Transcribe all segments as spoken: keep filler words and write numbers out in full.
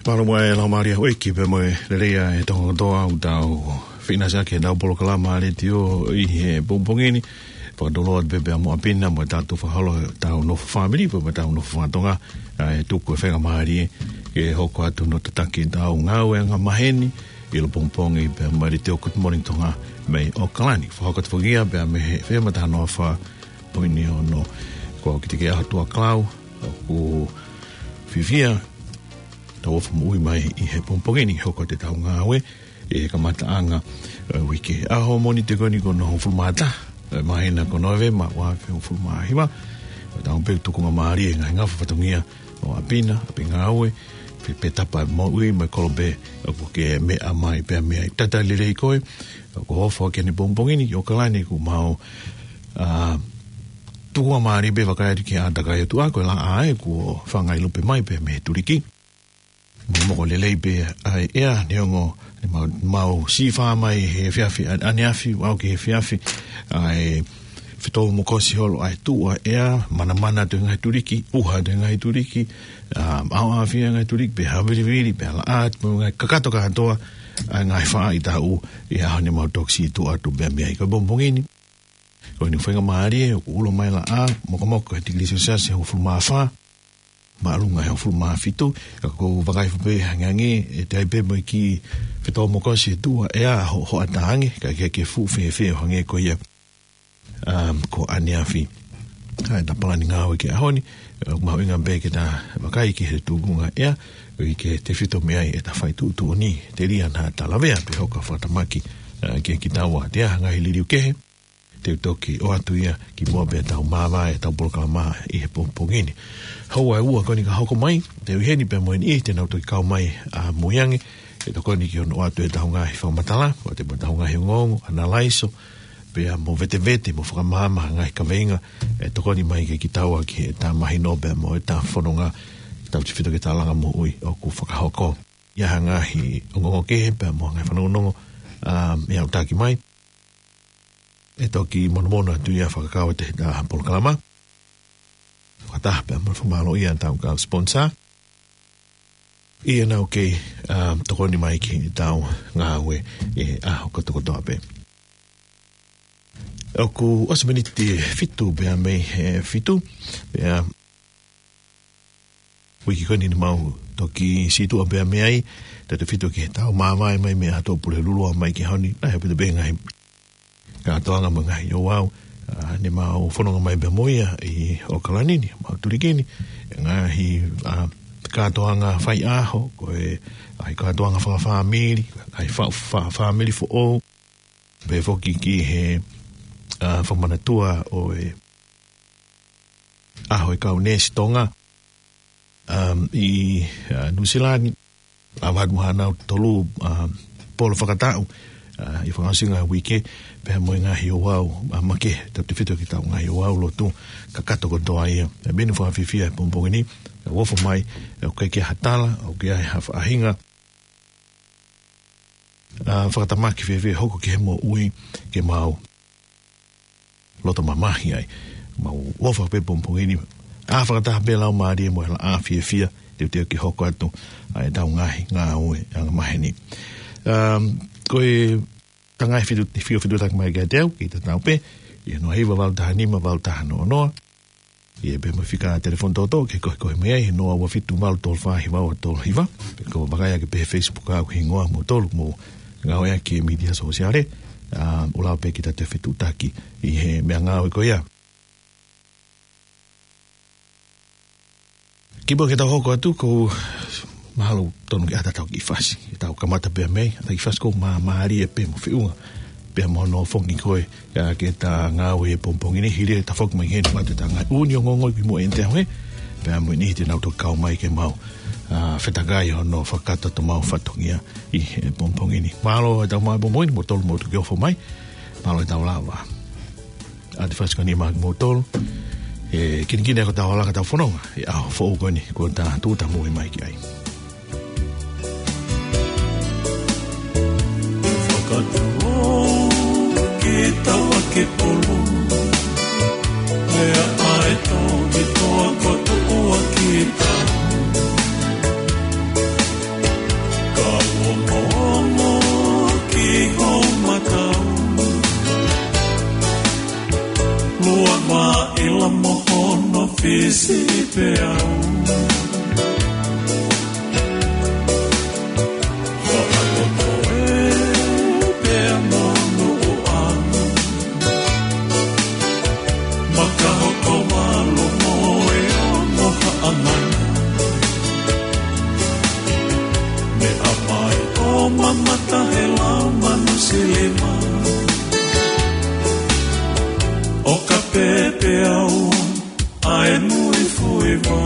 Mālō muʻa e laumālie ʻo e ʻEiki pea mo e lelei ʻa e Tonga kotoa ʻoku tau feinasi ʻaki ʻetau polokalama letiō ʻi he pongipongi ni. Fakatulou atu pē pea mo ʻApina mo e tatou fakaholo ʻetau nofo fāmili pea mo ʻetau nofo fakatonga, ʻa e tuku e faingamālie ke hoko atu hono tataki ʻetau ngāue angamaheni ʻi he pongipongi pea mo e letiō Good Morning Tonga mei ʻAokalani. Fakahoko atu foki ia pea mei he efe emu taha noa fā poini ono. Ko au Kitike ʻAhotua Clau, ʻoku fiefia tau ʻofa moʻui mai ʻi he pongipongi ni hoko atu ʻetau ngāue ʻi he kamataʻanga ʻo e uike. ʻAho Mōnite ko eni ko hono hongofulu mā taha ʻo e māhina ko Nōvema, ua afe hongofulu mā hiva. ʻOku tau pē tukunga mālie he ngaahi ngafa fatongia ʻo ʻApina, ʻapi ngāue, pe, pe tapa moʻui mo e kolope ʻoku ke meʻa mai pea mei ai. Talitali lelei koe, ʻoku ke ʻofa ʻaki ʻeni pongipongi ni ʻi ʻAokalani, ʻoku mau, ʻa, tukunga mālie pē vakai atu ki he ʻātakai ʻOtua, ko e laʻā ē kuo fangai lupe mai pea mei he tuliki. Momoko lelei pē ʻa e ʻea, neongo ʻene mau, mau sīfā mai he efiafi, ʻa, ʻaneafi, ʻo aʻu ki he efiafi, ʻa e fetōmokosi holo ʻa e tuʻu ʻa e ʻea, manamana atu e ngaahi tuliki, ʻuha atu e ngaahi tuliki, ʻa, ʻaoʻaofia e ngaahi tuliki, pea havilivili, pea laʻā atu mo e ngaahi kakato kātoa ʻa e ngaahi faʻahitaʻu ʻi he ʻaho ni mau toki sītuʻa atu pea mei ai. Ko e pongipongi ni, ko ʻene faingamālie, ʻoku ulo mai e laʻā, mokomoko he tikilī selesiasi ʻe hongofulu mā fā, māʻolunga he hongofulu mā fitu, ka ʻoku ou vakai foki pē he angiangi, ʻe toe ʻi ai pē mo e kiʻi fetōmokosi he tuʻu ʻa e ʻea, ho, hoʻatā ange, kae kehe ke fuʻu fēfē ʻo hangē ko ia, um, ko ʻaneafi. ʻA ʻeta palani ngāue ki he ʻaho ni, ʻoku mahuʻinga pē ke ta vakai ki he tukunga ʻea, ʻoku ʻikai ke tefito mei ai ʻeta fai tuʻutuʻuni, telia naʻa ta lavea pe hoko ʻo fakatamaki, ʻa, kiate kitaua. Te ʻi ai ha ngaahi liliu kehe te u toki ʻoatu ia kimuʻa pea tau māvae ʻetau polokalama ʻi he pongipongi ni. Houa ʻe ua ko eni ka hoko mai, te u ʻi heni pea mo e niʻihi te nau toki kau mai ʻamui ange, ʻe tokoni ki hono ʻoatu ʻetau ngaahi fakamatala, ʻoatu mo ʻetau ngaahi ongoongo, ʻanalaiso, pea mo vetevete mo fakamaama ha ngaahi kaveinga ʻe tokoni mai kiate kitaua ki heʻeta mahino pea mo ʻeta fononga, tautefito ki he talanga moʻui ʻoku fakahoko. ʻI ai ha ngaahi ongoongo kehe pea mo ha ngaahi fanongonongo, ʻa, ʻe aʻutaki mai, ʻe toki monomono atu ia fakakau ʻi heʻeta polokalama. Fakataha pea mo e fakamālō ia ʻa ʻetau kau sponsor, ʻi heʻenau kei, ʻa, tokoni mai ki heʻetau ngāue he ʻaho kotokotoa pē. ʻOku ʻosi miniti ʻe fitu pea mei he fitu, pea uike ko eni ni mau toki sītuʻa pea mei ai, tautefito ki heʻetau māvae mai mei he ʻaho Pulelulu ʻo aʻu mai ki he ʻaho ni, naʻe ʻi ai pē ʻa e ngaahi kātoanga mo e ngaahi ouau, ʻa, ne mau fononga mai pea mo ia ʻi ʻAokalani ni, mau tuliki ni, ngaahi, ʻa, kātoanga faiʻaho, ko e, ʻa, kātoanga fakafāmili, ʻa e fa-, fa-, fāmili foʻou, pea foki ki he, ʻa, fakamanatua ʻo e ʻaho e kau neesi Tonga, um, ʻi, ʻa, Nuʻusila ni, ʻa, ʻalu atu mo haʻanau tolu, ʻa, polo fakataʻu, ʻa, ʻi he fakaʻosinga ʻo e uike, pea mo e ngaahi ouau, ʻa, makehe, tautefito ki heʻetau ngaahi ouau lotu, kakato kotoa ia. ʻE meni fakafiefia he pongipongi ni, ʻe ʻofa mai, ʻe ʻikai ke ʻi ai ha tala, ʻe ʻikai ke ʻi ai ha faʻahinga, ʻa, fakatamaki fēfē hoko ki he moʻui ke mau loto mamahi ai. Mau ʻofa pē pongipongi ni, ʻa, fakataha pē laumālie mo e laʻā fiefia, teuteu ke hoko atu ʻa ʻetau ngaahi ngāue angamaheni. Um, ko e ngaahi fitu, fitu, fitutaki mai kiate au, kei tatau pē, ʻi he noa hiva valu taha nima valu taha noa noa, ʻi he pē mo e fika telefoni toʻotoʻo ke koekoe mai ai, he noa ua fitu valu tolu fā hiva ua tolu hiva, pe ko e vakai ake pē he Facebook ʻa e hingoa moutolu ʻoku mou ngāueʻaki e mītia sōsiale, ʻa, ʻo lava pē ke ta toe fitutaki ʻi he meʻangāue ko ia. Kimuʻa ke tau hoko atu, ʻoku ou mahalo tonu ke ʻatā ʻetau kiʻi fasi. ʻEtau kamata pē mei ai, ʻatā e kiʻi fasi ko e māmālie pē mo e feʻunga pea mo hono foki ko ē, ʻa, ki heʻeta ngāue he pongipongi ni, hili ʻeta foki mai ki heni, ʻoatu ʻeta ngaahi ʻū ongoongo kimuʻa ʻi heʻene teʻahe, pea mo e niʻihi te nau toki kau mai ke mau, ʻa, fetakai hono fakakakato ʻemau fatongia ʻi he pongipongi ni. Mālō ʻetau maʻu he pongipongi ni, moutolu mou toki ʻofa mai, mālō ʻetau lava ʻa e fasi ko eni maʻa kimoutolu. ʻE kinikini ʻa hotau hala ka tau fononga he ʻaho foʻou ko eni kuo ta tūʻuta moʻui mai ki ai. Fakatuʻu ki tau ake polu, lea ʻa e toki toa ko tuʻu ʻa kita. Fisi pē au. Faʻa totoe pea mo noʻo ʻa. Maka hoko malu mo e ongo haʻamana. Meʻa mai ʻo mamata he lau manu silima. ʻO ka pēpē au ʻa e mui fuiva.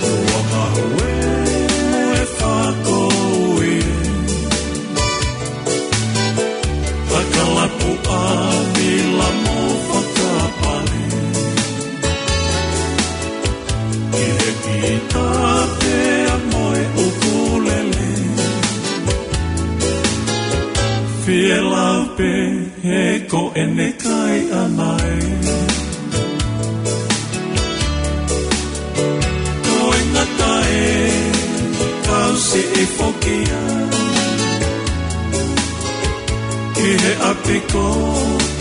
Ua mahu e fākouʻi. ʻA ka lapu ʻa mila mo fakapale. ʻI he kita pea mo e ʻukulele. Fie lau pē he ko ʻene kai ʻana ē. Ko e ngata e kau siʻi foki ia. Ki he ʻapi ko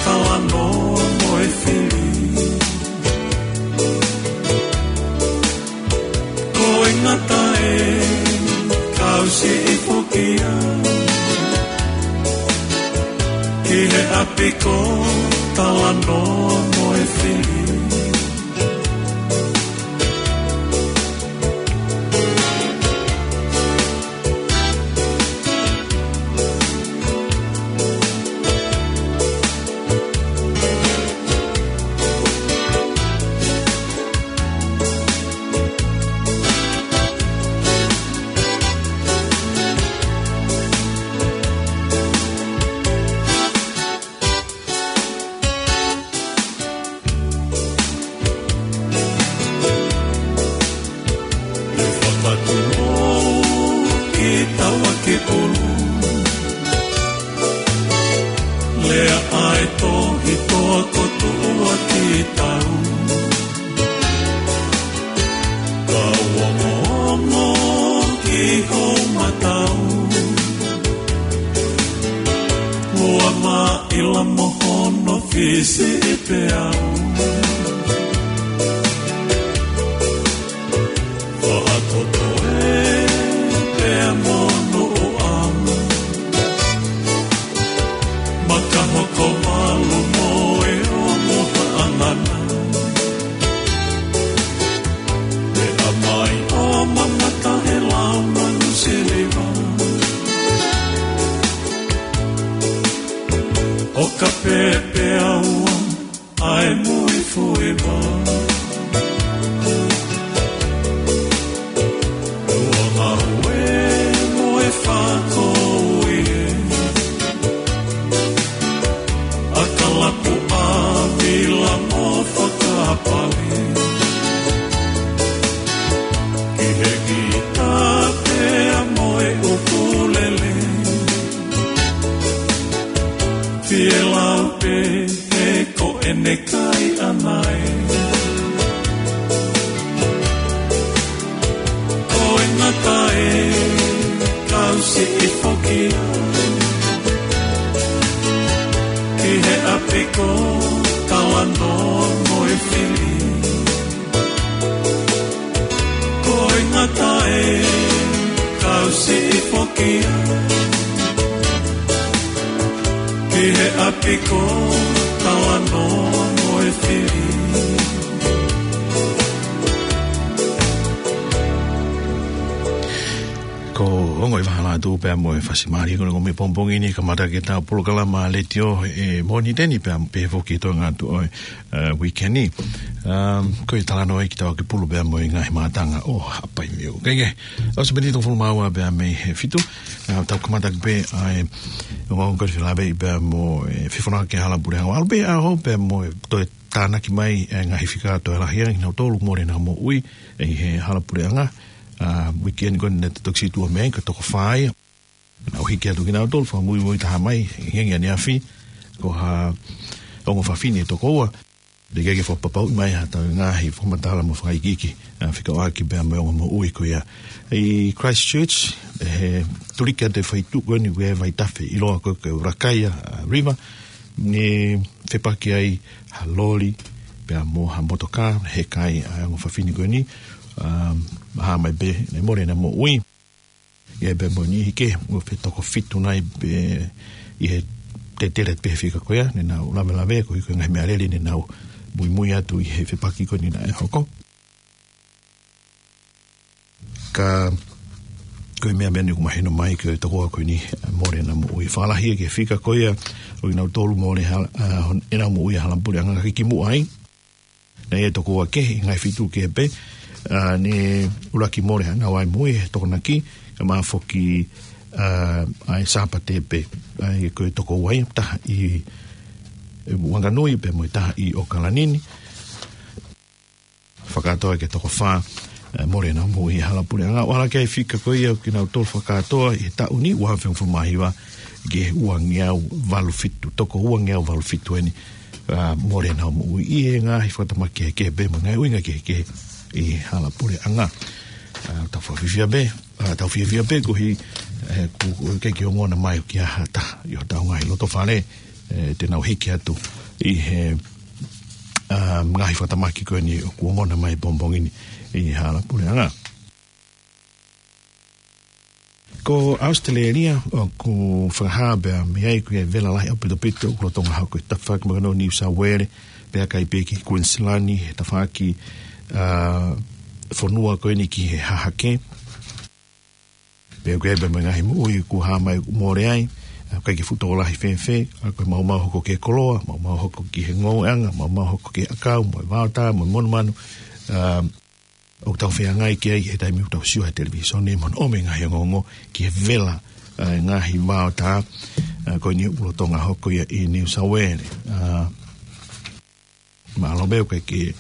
Talanoa mo e fili. Ko e ngata e kau siʻi foki ia. Ki he ʻapi ko Talanoa mo e fili. Fakatulou ki taua ki ʻulu. Lea ʻa e tohi toa ko tuʻua ki tau. Kau ongoongo ki hou matau. Ua maʻila mo hono fisi pē au. Faʻa totoe pea mo noʻo ʻa. Maka hoko malu mo e ongo haʻamana. Meʻa mai ʻo mamata he lau manu silima. ʻO ka pēpē au ʻa e mui fuiva. Ua mahu e mo e fākouʻi. ʻA ka lapu ʻa mila mo fakapale. Ki he kita pea mo e ʻukulele. Fie lau pē he ko ʻene kai ʻana ē. Ko e ngata e kau siʻi foki ia. Ki he ʻapi ko Talanoa mo e fili. Ko e ngata e kau siʻi foki ia. Ki he ʻapi ko Talanoa mo e fili. Ko Ongo ʻi Vahala atu pea mo e fasi mālie ko eni ʻo e pongipongi ni, kamata ʻetau polokalama letiō ʻi he Mōnite ni pea pehē foki ʻi he toenga atu ʻo e, ē, uike ni. Um, ko e talanoa ʻi he Kitauakepulu pea mo e ngaahi mātanga ʻo Haʻapai View. Kae kehe, ʻosi miniti hongofulu mā ua pea mei he fitu, ē, tau kamata pē ʻa e ongoongo ko eni felāveʻi pea mo e fefonaki ki he Hala Puleʻanga. ʻAlu pē ʻaho pea mo e toe tānaki mai e ngaahi fika toe lahi ange kinautolu mole ʻenau moʻui ʻi he Hala Puleʻanga. Ā, uike ni ko eni naʻe toki situʻa mei ai, ko e toko fā ia. Naʻa nau hiki atu kinautolu, fakamuimui taha mai, ʻi he ngaahi ʻaneafi, ko ha ongo fafine toko ua. Teʻeki ke fakapapauʻi mai haʻatau ngaahi fakamatala mo fakaikiiki, ā, fekauʻaki pea mo e ongo moʻui ko ia. ʻI Christchurch, he tuliki atu e feituʻu ko eni ʻoku ʻi ai e vaitafe ʻiloa ko e, ko e Rakaia, ā, River. Ne fepaki ai ha loli, pea mo ha motokā, heka ai ʻa e ongo fafine ko eni, um, hā mai pē, ne mole ʻena moʻui. ʻI ai pē mo e niʻihi kehe, ʻoku fetoko fitu nai pē ʻi he tetele pē fika ko ia, ne nau lavelaveʻi, ko e hā e ngaahi meʻa lele, ne nau muimui atu ʻi he fepaki ko eni naʻe hoko. Ka, ko e meʻa meʻa ni ʻoku mahino mai ko e tokoua ko eni, mole ʻena moʻui. Fakalahi ki he fika ko ia, ʻo kinautolu mole hala-, ʻa, hon-, ʻenau moʻui ʻi he hala puleʻanga ka kimuʻa ai. Naʻe ʻi ai e tokoua kehe, ngaahi feituʻu kehe pē, ʻa, ne ʻuluaki mole ʻenau moʻui, he Tokonaki, kae ʻumaʻā foki, ʻa, ʻa e Sāpate pē, ʻa ia ko e tokoua ia, taha ʻi, ʻi Wanganui pea mo e taha ʻi ʻOkalani ni. Fakakātoa ki he toko fā, ʻe, mole ʻenau moʻui ʻi he hala puleʻanga. ʻO ala ki ai e fika ko ia ʻo kinautolu fakakātoa ʻi he taʻu ni, ua afe hongofulu mā hiva ki he ua ngeau valu fitu, toko ua ngeau valu fitu eni, ʻa, mole ʻenau moʻui ʻi he ngaahi fakatamaki kehekehe pea mo e ngaahi ʻuhinga kehekehe ʻi he hala puleʻanga. ʻA, tau fiefia pē, ʻa, tau fiefia pē koeʻuhi, ʻe, kuo, kuo ʻikai ke ongona mai ʻo ki ha taha ʻi hotau ngaahi lotofale, ʻe, te nau hiki atu ʻi he, ʻa, ngaahi fakatamaki ko eni ʻoku ongona mai he pongipongi ni ʻi he hala puleʻanga. Ko ʻAositelēlia ʻoku fakahā pea mei ai ko e vela lahi ʻaupitopito ʻoku lolotonga hoko ʻi he tafaʻaki mahino New South Wales, pea ʻikai pē ki Queensland, he tafaʻaki, ʻa, fonua ko eni ki he hahake. Pea ʻoku ʻi ai pē mo e ngaahi moʻui ʻoku hā mai ʻoku mole ai, ʻa, ʻikai ke fuʻu tokolahi fēfē, ʻa, ko e maumau hoko ki he koloa, maumau hoko ki he ngoueʻanga, maumau hoko ki he ʻakau, mo e vaotā, mo e monumanu, ʻa, ʻoku tau feangai ki ai he taimi ʻoku tau sio he televīsone, mo hono ʻomai e ngaahi ongoongo ki he vela, ʻa, ngaahi vaotā, ʻa, ko eni ʻoku lolotonga hoko ia ʻi New South Wales. ʻA, Mālō pē ʻoku ʻikai ke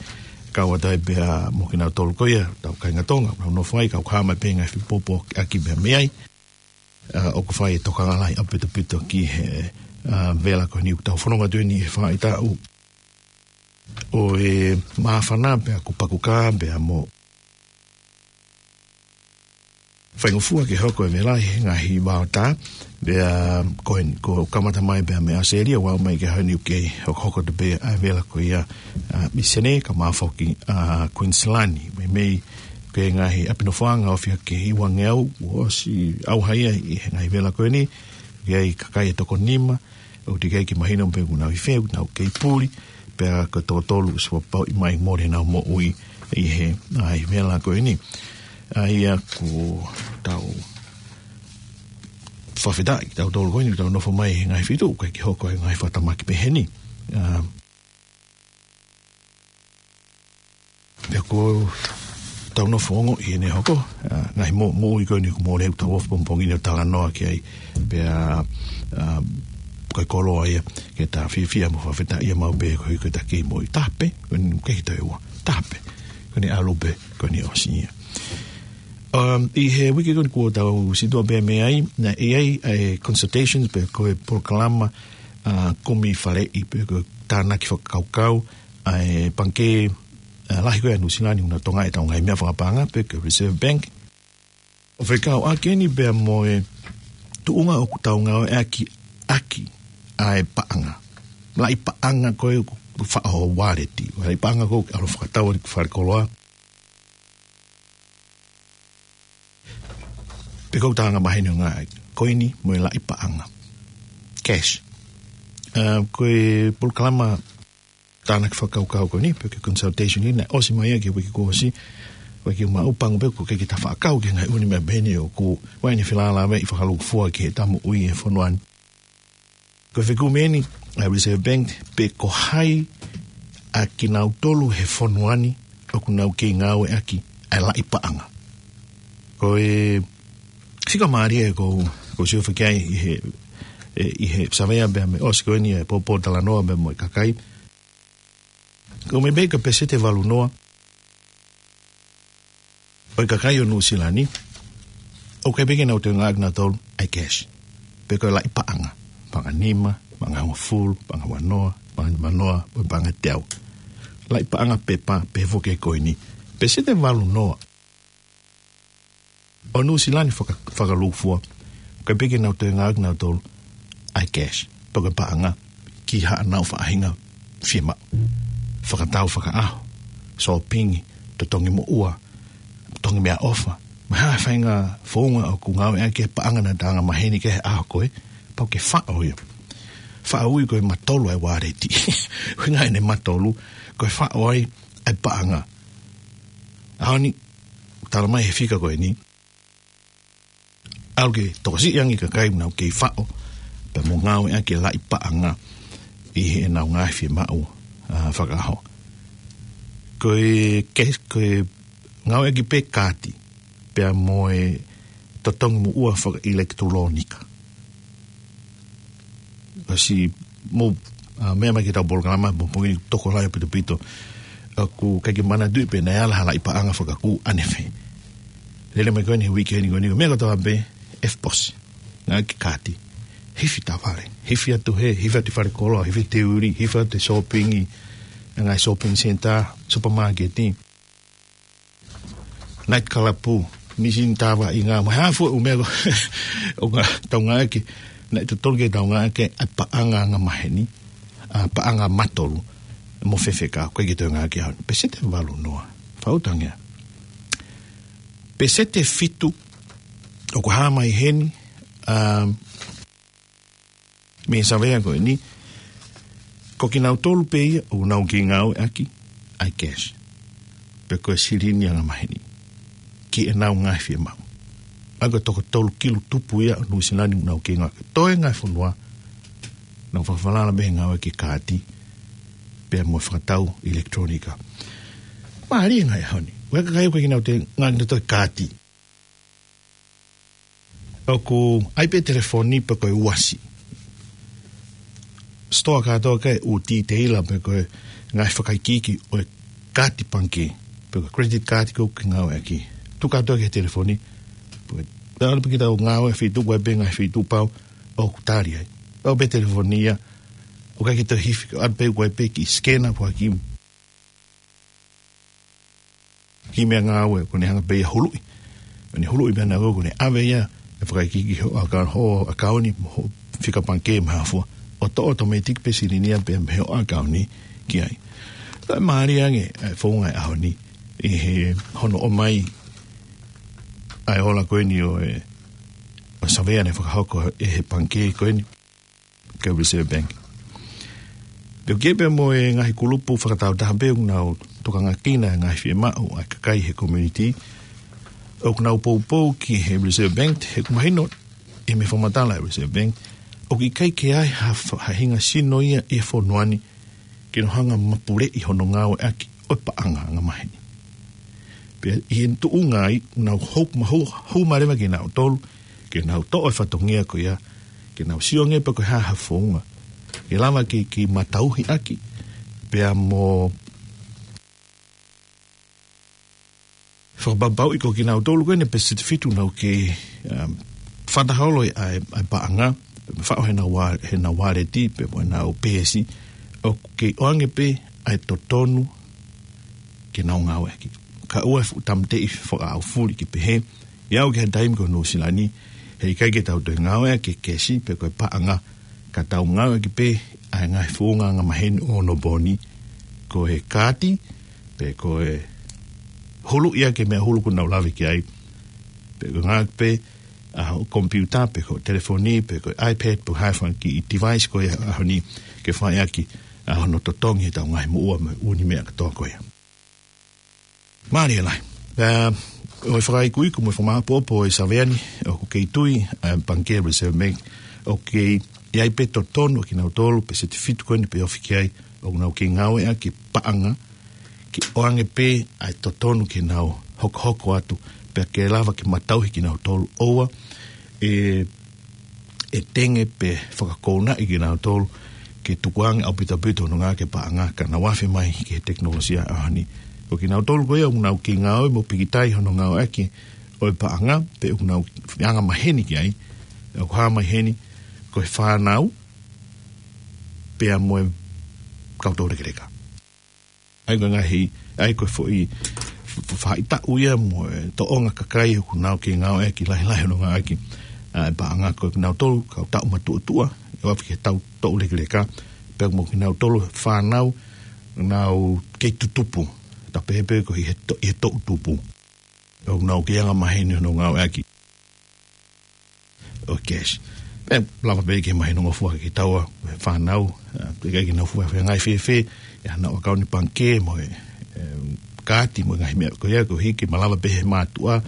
kau atu ai pea mo kinautolu ko ia, tau kāinga Tonga, nau nofo ai, ka ʻoku hā mai pē ngaahi fepōpōʻaki pea mei ai. ʻA, ʻoku fai e tokanga lahi ʻaupitopito ki he, ʻa, vela ko eni ʻoku tau fononga atu eni he faʻahitaʻu ʻo e māfana pea kuo pakukā pea mo faingofua ke hoko e vela he ngaahi vaotā, pea ko eni, kuo kamata mai pea mei ʻAositelēlia, ʻo aʻu mai ki he ʻaho ni ʻoku kei hokohoko atu pē ʻa e vela ko ia, ʻa, ʻi Senē kae ʻumaʻā foki, ʻa, Queensland, meimei ko e ngaahi ʻapi nofoʻanga ʻoku ofi hake ʻi he ua ngeau, kuo ʻosi ʻauha ia ʻi he ngaahi vela ko eni, ʻoku ʻi ai e kakai ʻe toko nima, ʻoku teʻeki ai ke mahino pe ʻoku nau ʻi fē, ʻoku nau kei puli, pea ko e toko tolu ʻosi fakapapauʻi mai mole ʻenau moʻui ʻi he ngaahi vela ko eni. ʻA ia ʻoku tau fakafetaʻi, tautolu ko eni, tau nofo mai he ngaahi feituʻu, ʻoku ʻikai ke hoko e ngaahi fakatamaki pehē ni. ʻA, Pea ko ʻetau nofo ongoʻi ʻene hoko, ʻa, ngaahi mo-, moʻui ko eni ʻoku mole ʻoku tau ʻofa pongipongi ni ʻo talanoa ki ai, pea, ʻa, ko e koloa ia, ke ta fiefia mo fakafetaʻia maʻu pē koeʻuhi ko ʻeta kei moʻui. Taha pē, ko eni ke hita e ua. Taha pē, ko eni ʻalu pē, ko eni ʻosi ia. Um, ʻi he uike ko eni kuo tau situʻa pē mei ai, naʻe ʻi ai, ʻa e consultations pe ko e polokalama, ʻa, kumi faleʻi pe ko e tānaki fakakaukau, ʻa e pangikē, ʻa, lahi ko ia ʻa Nuʻusila ni ʻoku na tokangaʻi ʻetau ngaahi meʻa fakapaʻanga pe ko e Reserve Bank. ʻO fekauʻaki eni pea mo e tuʻunga ʻoku tau ngāueʻaki ʻaki ʻa e paʻanga. Laʻi paʻanga ko ē ʻoku faʻo waleti. Laʻi paʻanga ko ē ʻoku ʻalu fakatau ʻi falekoloa. Pe ko e anga mahino ngaahi koini mo e laʻi paʻanga. Cash. ʻA, ko e polokalama tānaki fakakaukau ko eni, pe ko e consultation ni, naʻe ʻosi mai ia ki he uike kuo ʻosi, uike maʻu pango pe ko e ke ta fakakaukau ki he ngaahi ʻū meʻa pehē ni ʻoku, ʻoku ne felālāveʻi fakalūkufua ki heʻeta moʻui he fonua ni. Ko e fekumi eni ʻa e Reserve Bank, pe ko hai ʻa kinautolu he fonua ni ʻoku nau kei ngāueʻaki ʻa e laʻi paʻanga. Ko e fika mālie ʻoku, ʻoku ou sio hifo ki ai ʻi he, ʻe, ʻi he savea pea mei ʻosi ko eni e pōpōtalanoa pea mo e kakai. ʻOku meimei ko e peseti ʻe valu noa ʻo e kakai ʻo Nuʻusila ni, ʻoku ʻikai pē ke nau toe ngāueʻaki ʻe nautolu ʻa e cash. Pe ko e laʻi paʻanga. Paʻanga nima, paʻanga hongofulu, paʻanga ua noa, paʻanga nima noa, mo e paʻanga teau. Laʻi paʻanga pepa, pe foki e koini. Peseti ʻe valu noa ʻo Nuʻusila ni faka-, fakalūkufua, ʻoku ʻikai pē ke nau toe ngāueʻaki ʻe nautolu ʻa e cash. Pe ko e paʻanga. ʻi haʻanau faʻahinga fiemaʻu. Fakatau fakaʻaho, sōpingi, totongi moʻua, totongi meʻaʻofa. Mo e hā e faʻahinga founga ʻoku ngāueʻaki e paʻanga naʻa ta anga maheni ki he ʻaho ko ē, pau ke faʻo ia. Faʻo ui ko e matolu ʻa e wallet. Ko e ngaahi ʻene matolu, ko e faʻo ai ʻa e paʻanga. ʻAho ni, tala mai he fika ko eni, ʻalu ke tokosiʻi ange e kakai ʻoku nau kei faʻo, pea mo ngāueʻaki e laʻi paʻanga ʻi heʻenau ngaahi fiemaʻu, ā, fakaʻaho. Ko e ke-, ko e ngāueʻaki pē kaati, pea mo e totongi moʻua fakaʻilekitulōnika. Kasi mo, ā, meʻa mai ki heʻetau polokalama, mo pongi tokolahi ʻaupito ʻaupito. ʻOku ʻikai ke manatuʻi pe naʻe ala ha laʻi paʻanga fakakū ʻanefē. Lele mai ko eni he uike ni ko eni, meʻa kotoa pē, ʻefu pos. Ngāueʻaki kaati. Hifo ʻi tavale. Hifo atu hē, hifo atu ʻi falekoloa, hifo ʻi teuli, hifo atu he sōpingi, ngaahi shopping centre, supermarket, night club, nisi ni tava i ngā, mo e hā fua ʻū meʻa ko, ʻoku tau ngāueʻaki, naʻe totonu ke tau ngāueʻaki ʻa e paʻanga anga maheni, ʻa e paʻanga matolu, mo fefeka, ʻoku ʻikai ke tau ngāueʻaki ʻaho ni. Peseti ʻe valu noa, fautangia. Peseti ʻe fitu, ʻoku hā mai heni, ā, mei he savea ko eni, ko kinautolu pē ia ʻoku nau kei ngāueʻaki ʻa e cash, pe ko e silini anga maheni, ki heʻenau ngaahi fiemaʻu. ʻA ia ko e toko tolu kilu tupu ia ʻo Nuʻusila ni ʻoku nau kei ngāueʻaki. Toe ngaahi fonua, nau fakafalala mei he ngāueʻaki e kaati, pea mo e fakatau ʻilekitulōnika. Mālie e ngaahi ʻaho ni. ʻOku ʻi ai e kakai ʻoku ʻikai ke nau toe ngāueʻaki ʻa e kaati. ʻOku ʻi ai pē telefoni pe ko e uasi. Sitoa kātoa ʻoku ʻi ai e ʻū titeila pe ko e ngaahi fakaikiiki ʻo e kaati pangikē, pe ko e credit card ʻoku ke ngāueʻaki. Tuku kātoa ki he telefoni. Pe ko e, ʻalu pē kita ʻo ngāue he feituʻu, ʻoku ʻi ai pē ngaahi feituʻu pau ʻoku tali ai. ʻAlu pē telefoni ia, ʻoku ʻikai ke toe hifo, ʻalu pē ʻoku ʻi ai pē kiʻi scanner pe ko ha kiʻi kiʻi meʻangāue, ʻoku ne hanga pē ia ʻo huluʻi. ʻOku ne huluʻi pē ʻana ʻoku ne ʻave ia, ʻe fakaikiiki hoʻo ʻaka-, hoʻo ʻakauni, mo hoʻo fika pangikē mo e hā fua. ʻOto-, automatic pē silini ia pē mei hoʻo ʻakauni ki ai. Toe mālie ange e founga e ʻaho ni, ʻi he hono ʻomai ʻa e ola ko eni ʻo e, ʻo e savea naʻe fakahoko ʻe he pangikē ko eni, ko e Reserve Bank. Pea ʻoku ʻi ai pē mo e ngaahi kulupu fakataautaha pē ʻoku nau tokangakina e ngaahi fiemaʻu ʻa e kakai he community, ʻoku nau poupou ki he Reserve Bank, he ʻoku mahino ʻi he meʻa fakamatala ʻa e Reserve Bank, ʻoku ʻikai ke ʻi ai ha fa-, ha hinga sino ia ʻi he fonua ni ke nau hanga ʻo mapuleʻi hono ngāueʻaki ʻo e paʻanga anga maheni. Pea ʻi he tuʻunga ai, nau hou-, mahu-, hū mai leva kinautolu, ke nau toʻo e fatongia ko ia, ke nau sio ange pe ko e hā ha founga ke lava ke, ke matauhiʻaki, pea mo fakapapauʻi ko kinautolu ko eni peseti ʻe fitu ʻoku nau kei, um, fakaholo ʻa e, ʻa e paʻanga, faʻo heʻenau wa-, heʻenau waleti, pe mo ʻenau peesi, ʻoku kei ʻoange pē ʻa e totonu ke nau ngāueʻaki. Kae ʻoua ʻe fuʻu tāmateʻi fakaʻaufuli ke pehē, ʻi he ʻaho ki he taimi ko Nuʻusila ni, heʻikai ke tau toe ngāueʻaki e kesi pe ko e paʻanga, ka tau ngāueʻaki pē ʻa e ngaahi founga anga maheni ʻo onopooni, ko e kaati, pe ko e huluʻi ʻaki e meʻa hulu ʻoku nau lave ki ai, pe ko e ngāueʻaki pē ʻa hoʻo computer, pe ko e telefoni, pe ko e iPad, pe ko e hā fua e kiʻi device ko ia he ʻaho ni, ke fai ʻaki ʻa hono totongi ʻetau ngaahi moʻua mo e ʻū meʻa kātoa ko ia. Mālie lahi. Pea ʻoku fakaikuiku mo fakamāʻopoʻopo e savea ni, ʻoku kei tui ʻa e pangikē Reserve Bank, ʻoku kei ʻi ai pē totonu ʻa kinautolu peseti ʻe fitu ko eni pe ofi ki ai, ʻoku nau kei ngāueʻaki e paʻanga ke ʻoange pē ʻa e totonu ke nau hokohoko atu, pea ke lava ke matauhi kinautolu, ʻoua ʻe, ʻe tenge pe fakakounaʻi kinautolu ke tukuange ʻaupito ʻaupito hono ngāueʻaki e paʻanga, ka nau afe mai ki he tekinolosia ʻaho ni. Ko kinautolu ko ia ʻoku nau kei ngāue mo pikitai hono ngāueʻaki ʻo e paʻanga, pe ʻoku nau anga maheni ki ai, ʻoku hā mai heni ko e fānau, pea mo e kau toulekeleka. ʻA ia ko e ngaahi, ʻa ia ko e foʻi f-, f-, faʻahitaʻu ia mo e tōʻonga kakai ʻoku nau kei ngāueʻaki lahilahi hono ngāueʻaki ʻa e paʻanga, ko kinautolu kau taʻu matuʻotuʻa, ʻo aʻu ki he kau toulekeleka, Pea mo kinautolu fānau, nau kei tutupu. Tapu pē ko ē he to-, he toʻu tupu. ʻOku nau kei anga maheni hono ngāueʻaki ʻo e cash. Pea lava pē ke mahinongofua kitaua, fānau, ʻa, ʻikai ke nau fuʻu feinga fēfē, ʻi haʻanau ʻakauni pangikē mo e, ʻe, kaati mo e ngaahi meʻa ko ia, koeʻuhi ke malava pē he mātuʻa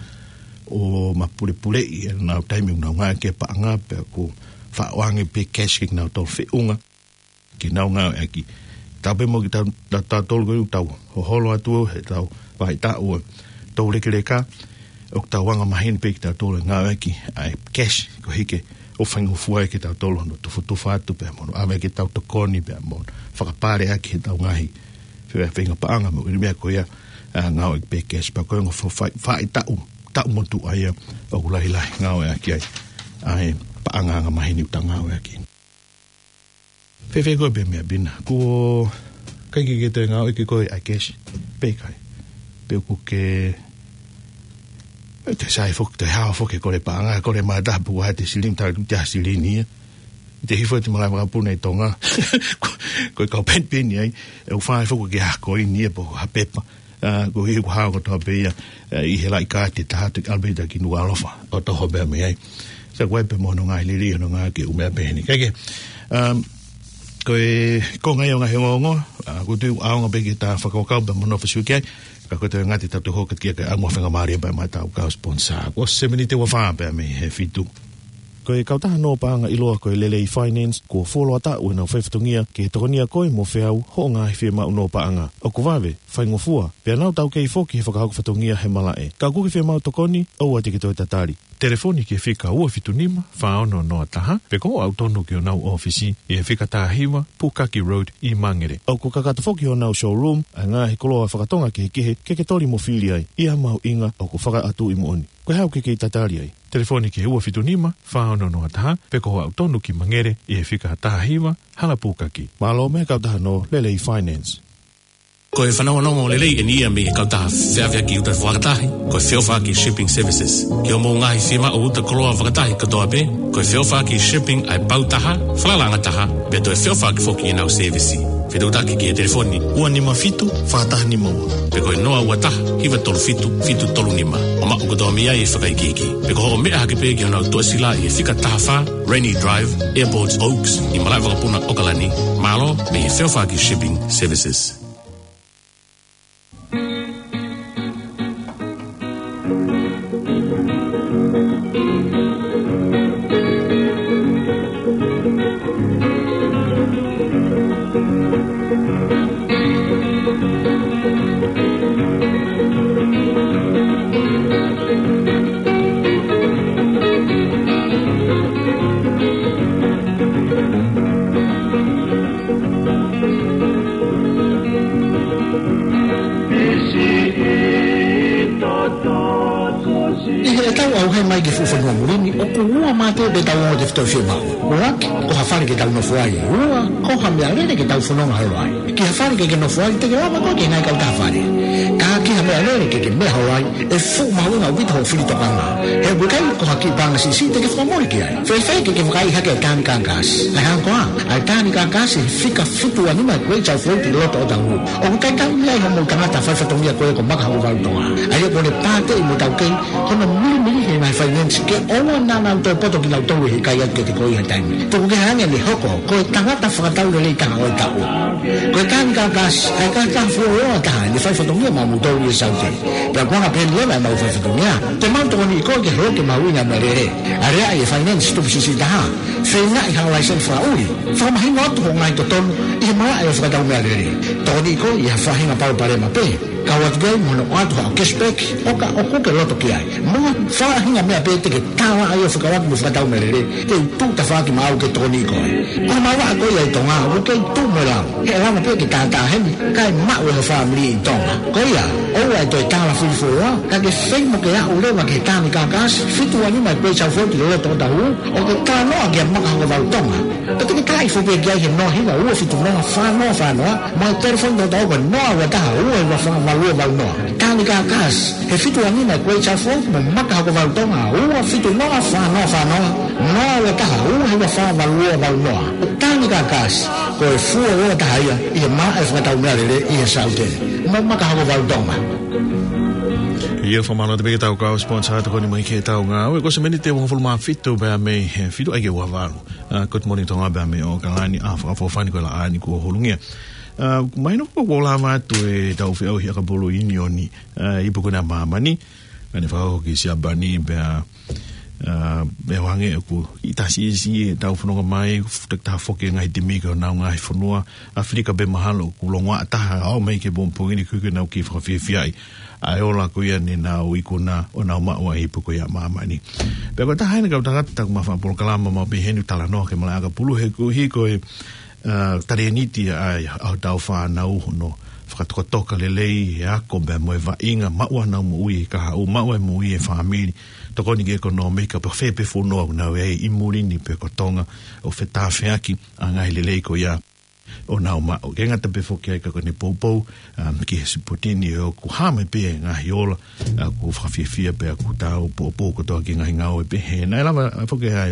ʻo mapulepuleʻi ʻenau taimi ʻoku nau ngāueʻaki e paʻanga, pea ʻoku faʻo ange pē cash ke nau tau feʻunga ke nau ngāueʻaki. Tapu pē mo kitautolu ko ē ʻoku tau hoholo atu ʻi heʻetau faʻahitaʻu ʻo e toulekeleka, ʻoku tau anga maheni pē kitautolu ʻi he ngāueʻaki ʻa e cash, koeʻuhi ke ʻoku faingofua ai kitautolu hono tufotufa atu pea mo hono ʻave ʻetau tokoni pea mo fakapaleʻaki ʻetau ngaahi fe-, feinga paʻanga mo e meʻa ko ia, ʻa, ngāueʻaki pē cash pea ko e ongo fa-, fa-, faʻahitaʻu, taʻu motuʻa ia ʻoku lahilahi ngāueʻaki ai ʻa e paʻanga anga maheni ʻoku tau ngāueʻaki. Fēfē koe pē Meʻa Pina? Kuo ʻikai ke ke toe ngāueʻaki koe ʻa e cash? Pe ʻikai? Pe ʻoku ke, te sai foki, te hao foki ko e paʻanga, ko e mata puku ʻe te silini, talu te silini ia. Te hifo te malaʻe vakapuna ʻi Tonga. Ko, ko e kau penipeni ai, ʻe ʻoku fai foki ke ha koini ia pe ko ha pepa. ʻA, koeʻuhi ʻoku hao kotoa pē ia, ʻa, ʻi he laʻi kaati ʻe taha atu ki ʻAlapita ki Nukuʻalofa ʻo toho pē mei ai. Sai, ko e pē mo hono ngaahi lelei hono ngāueʻaki ʻo e meʻa pehē ni. Kae kehe, um, ko e konga ia ʻo e ngaahi ongoongo, ʻa, ʻoku ou tui ʻoku ʻaonga pē ke ta fakakaukau pea mo nofo sio ki ai, ka ko e toe ngata ʻetau toe hoko atu ki he ʻangaʻofa faingamālie pea mo ʻetau kau sponsor. Ko e seminiti ua fā pē mei he fitu. Ko e kautaha nō paʻanga ʻiloa ko e Lelei Finance, kuo fuoloa taʻu ʻenau faifatongia ke tokonia koe mo feau hoʻo ngaahi fiemaʻu nō paʻanga. ʻOku vave, faingofua, pea nau taukei foki he fakahoko fatongia he malaʻe. Ka ʻoku ke fiemaʻu tokoni, ʻoua te ke toe tatali. Telefoni ki he fika ua fitu nima, fā ono noa taha, pe ko hoʻo aʻu tonu ki honau ʻōfisi ʻi he fika taha hiva, Pukaki Road ʻi Mangere. ʻOku kakato foki honau showroom ʻa e ngaahi koloa fakatonga kehekehe ke ke toli mo fili ai, ʻi ha mahuʻinga ʻoku fakaʻatuʻi moʻoni. Ko e hā ʻoku ke kei tatali ai? Telefoni ki he ua fitu nima, fā ono noa taha, pe ko hoʻo aʻu tonu ki Mangere ʻi he fika taha hiva, Hala Pukaki. Mālō mei he kautaha nō Lelei Finance. Ko e fanongonongo lelei eni ia mei he kautaha feʻaveʻaki uta fakatahi, ko e Feʻofaʻaki Shipping Services. Ki hoʻomou ngaahi fiemaʻu uta koloa fakatahi kotoa pē, ko e Feʻofaʻaki Shipping ʻa e pau taha, falalaʻanga taha, pea toe feʻofaʻaki foki ʻenau sēvisi. Fetuʻutaki ki he telefoni ua nima fitu, fā taha nima ua, pe ko e noa ua taha, hiva tolu fitu, fitu tolu nima, ʻo maʻu kotoa mei ai e fakaikiiki. Pe ko hoʻo meʻa hake pē ki honau tuʻasila ʻi he fika taha fā, Rainy Drive, Airport Oaks, ʻi malaʻe vakapuna ʻAokalani. Mālō mei he Feʻofaʻaki Shipping Services. ʻI heʻetau ʻauhē mai ki he fuʻu fonua muli ni, ʻoku ua mā pē ʻetau ongo tefitoʻi fiemaʻu. ʻUluaki, ko ha fale ke tau nofo ai. Ua, ko ha meʻalele ke tau fononga holo ai. Ki ha fale ke ke nofo ai, te ke lava koe ke ngaahi kautaha fale. Ka ki ha meʻalele ke ke meʻa holo ai, ʻe fuʻu mahuʻinga ʻaupito hoʻo fili tokanga. He ʻoku ʻikai ko ha kiʻi paʻanga siʻisiʻi te ke fakamole ki ai. Fēfē ke ke vakai hake ʻa e tāni kākasi? ʻA e hā koā? ʻA e tāni kākasi he fika fitu ua nima Great South Road ʻi loto Otahuhu. ʻOku talitali mei ai hoʻomou tangata faifatongia ko ē ko Makahokovalu Tonga. ʻA ia ʻoku ne pāteʻi mo taukei hono milimili he ngaahi finance ke ʻoua naʻa nau toe poto kinautolu he ʻikai atu ke te ko ʻi ha taimi. Tuku kehe ange ʻene hoko ko e tangata fakatau lelei taha ʻo e taʻu. Ko e tāni kākasi, ʻa e kākasi fuoloa taha ʻene faifatongia maʻamoutolu ʻi he Saute. Pea ko e anga pehē ni leva ʻemau faifatongia. Te mau tokoniʻi koe ke holoki e mahuʻinga ʻo e meʻalele. Aleaʻi e finance tupu siʻisiʻi taha. Feingaʻi ha laiseni fakaʻuli. Fakamahino atu hoʻo ngaahi totonu ʻi he malaʻe ʻo e fakatau meʻalele. Tokoniʻi koe ʻi ha faʻahinga palopalema pē. Kau atu ki ai mo hono ʻoatu haʻo cashback ʻo ka ʻoku ke loto ki ai. Mo ha faʻahinga meʻa pē te ke tala ai ʻo fekauʻaki mo e fakatau meʻalele, te u tuʻu tafaʻaki maʻau ke tokoniʻi koe. Ko e malava ko ia ʻi Tonga, ʻoku kei tuʻu mo e lau. He ʻe lava pē ke tātā heni, kae maʻu ʻe ho fāmili ʻi Tonga. Ko ia, ʻoua ʻe toe tala fili fuoloa, ka ke fai mo ke aʻu leva ki he tāni kākasi fitu ua nima Great South Road ʻi loto Otahuhu, ʻo ke talanoa kia Makahokovalu Tonga. Pea te ke tala hifo pē ki ai he noa hiva ua fitu noa fā noa fā noa, mo e telefoni tautau ko e noa ua taha ua hiva fā valu Ua valu noa. Tani Kakasi, he fitu angi na kuei Chaufo, mo Maka Hako Valu Tonga, ua fitu noa fā noa fā noa, noa ua taha, ua hiva fā valu ua valu noa. Tani Kakasi, ko e fua ua taha ia, ʻi he maʻa e fakatau meʻalele, ʻi he saute. Mo Maka Hako Valu Tonga. Ia fakamālō atu pē ki he tau kau sports atu ko eni mai ki he tau ngāue. Ko e miniti ʻe uofulu mā fitu pea mei he fitu ai ke ua valu. Uh, Good Morning Tonga pea mei ʻAokalani, ʻa Fakafofonga ko e laʻā ni kuo holungia. Uh, mahino ko e lava atu e tau feʻauhi ʻakapulu ʻi ʻIunioni, uh, ipu ko ena ʻa māmani. Ka ne fakahoko ki Siapani pea, uh, pea ʻoange ʻoku ʻi tasi ʻi he tau fononga mai, futa taha foki e ngaahi timi ki honau ngaahi fonua, ʻAfilika pē mahalo ʻoku longoaʻa taha ʻo aʻu mai ki he pongipongi ni kuo nau kei fakafiefiaʻi ʻa e ola ko ia ne nau ikuna ʻo nau maʻu ʻa e ipu ko ia ʻa māmani. Pea ko e taha eni e kau tangata ʻoku ma fakapolokalama maʻu pē heni ʻoku talanoa ki he malaʻe ʻakapulu he kuo hiko e, uh, talēniti ʻa e, ʻa hotau fānau hono fakatokatoka lelei e ako pea mo e vaʻinga, maʻu ʻenau moʻui e kahaʻu, maʻu e moʻui e fāmili, tokoni ki he ʻekonōmika pea fē pē fonua ʻoku nau ʻi ai ʻi muli ni pe ko Tonga, ʻo fetāfeaki ʻa e ngaahi lelei ko ia ʻo nau maʻu. ʻIkai ngata pē foki ai ka ko ʻene poupou, um, ki he sipoti ni ʻoku hā mai pē e ngaahi ola, uh, ʻoku fakafiefia pea ʻoku tau poupou kotoa ki he ngaahi ngāue pehē. Naʻe lava, uh, foki ai,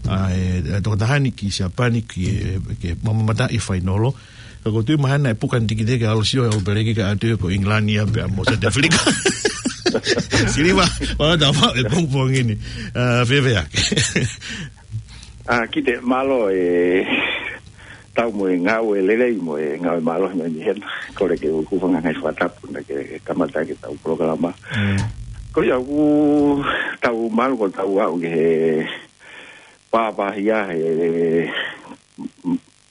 uh, e, e tokotaha ni ki Siapani ki he, ki he mamata ʻi he fainolo. Ka ʻoku ou tui mahalo naʻe puka e tikite ke ʻalu ʻo sio he ʻOlopeleki kae ʻatu ia ko ʻIngilani ia pea mo South Africa. Siliva, ʻoua te mou faʻa e pongipongi ni. Uh, fēfē ʻa e. Ah, Kite, mālō e tau mo e ngāue lelei mo e ngāue mālohi mai ni hena. Kole ke u hūfanga he ngaahi fakatapu naʻa ke kamata ʻaki e tau polokalama. Mm. Ko ia ʻoku tau mālō ko tau aʻu ki he pāpāhia he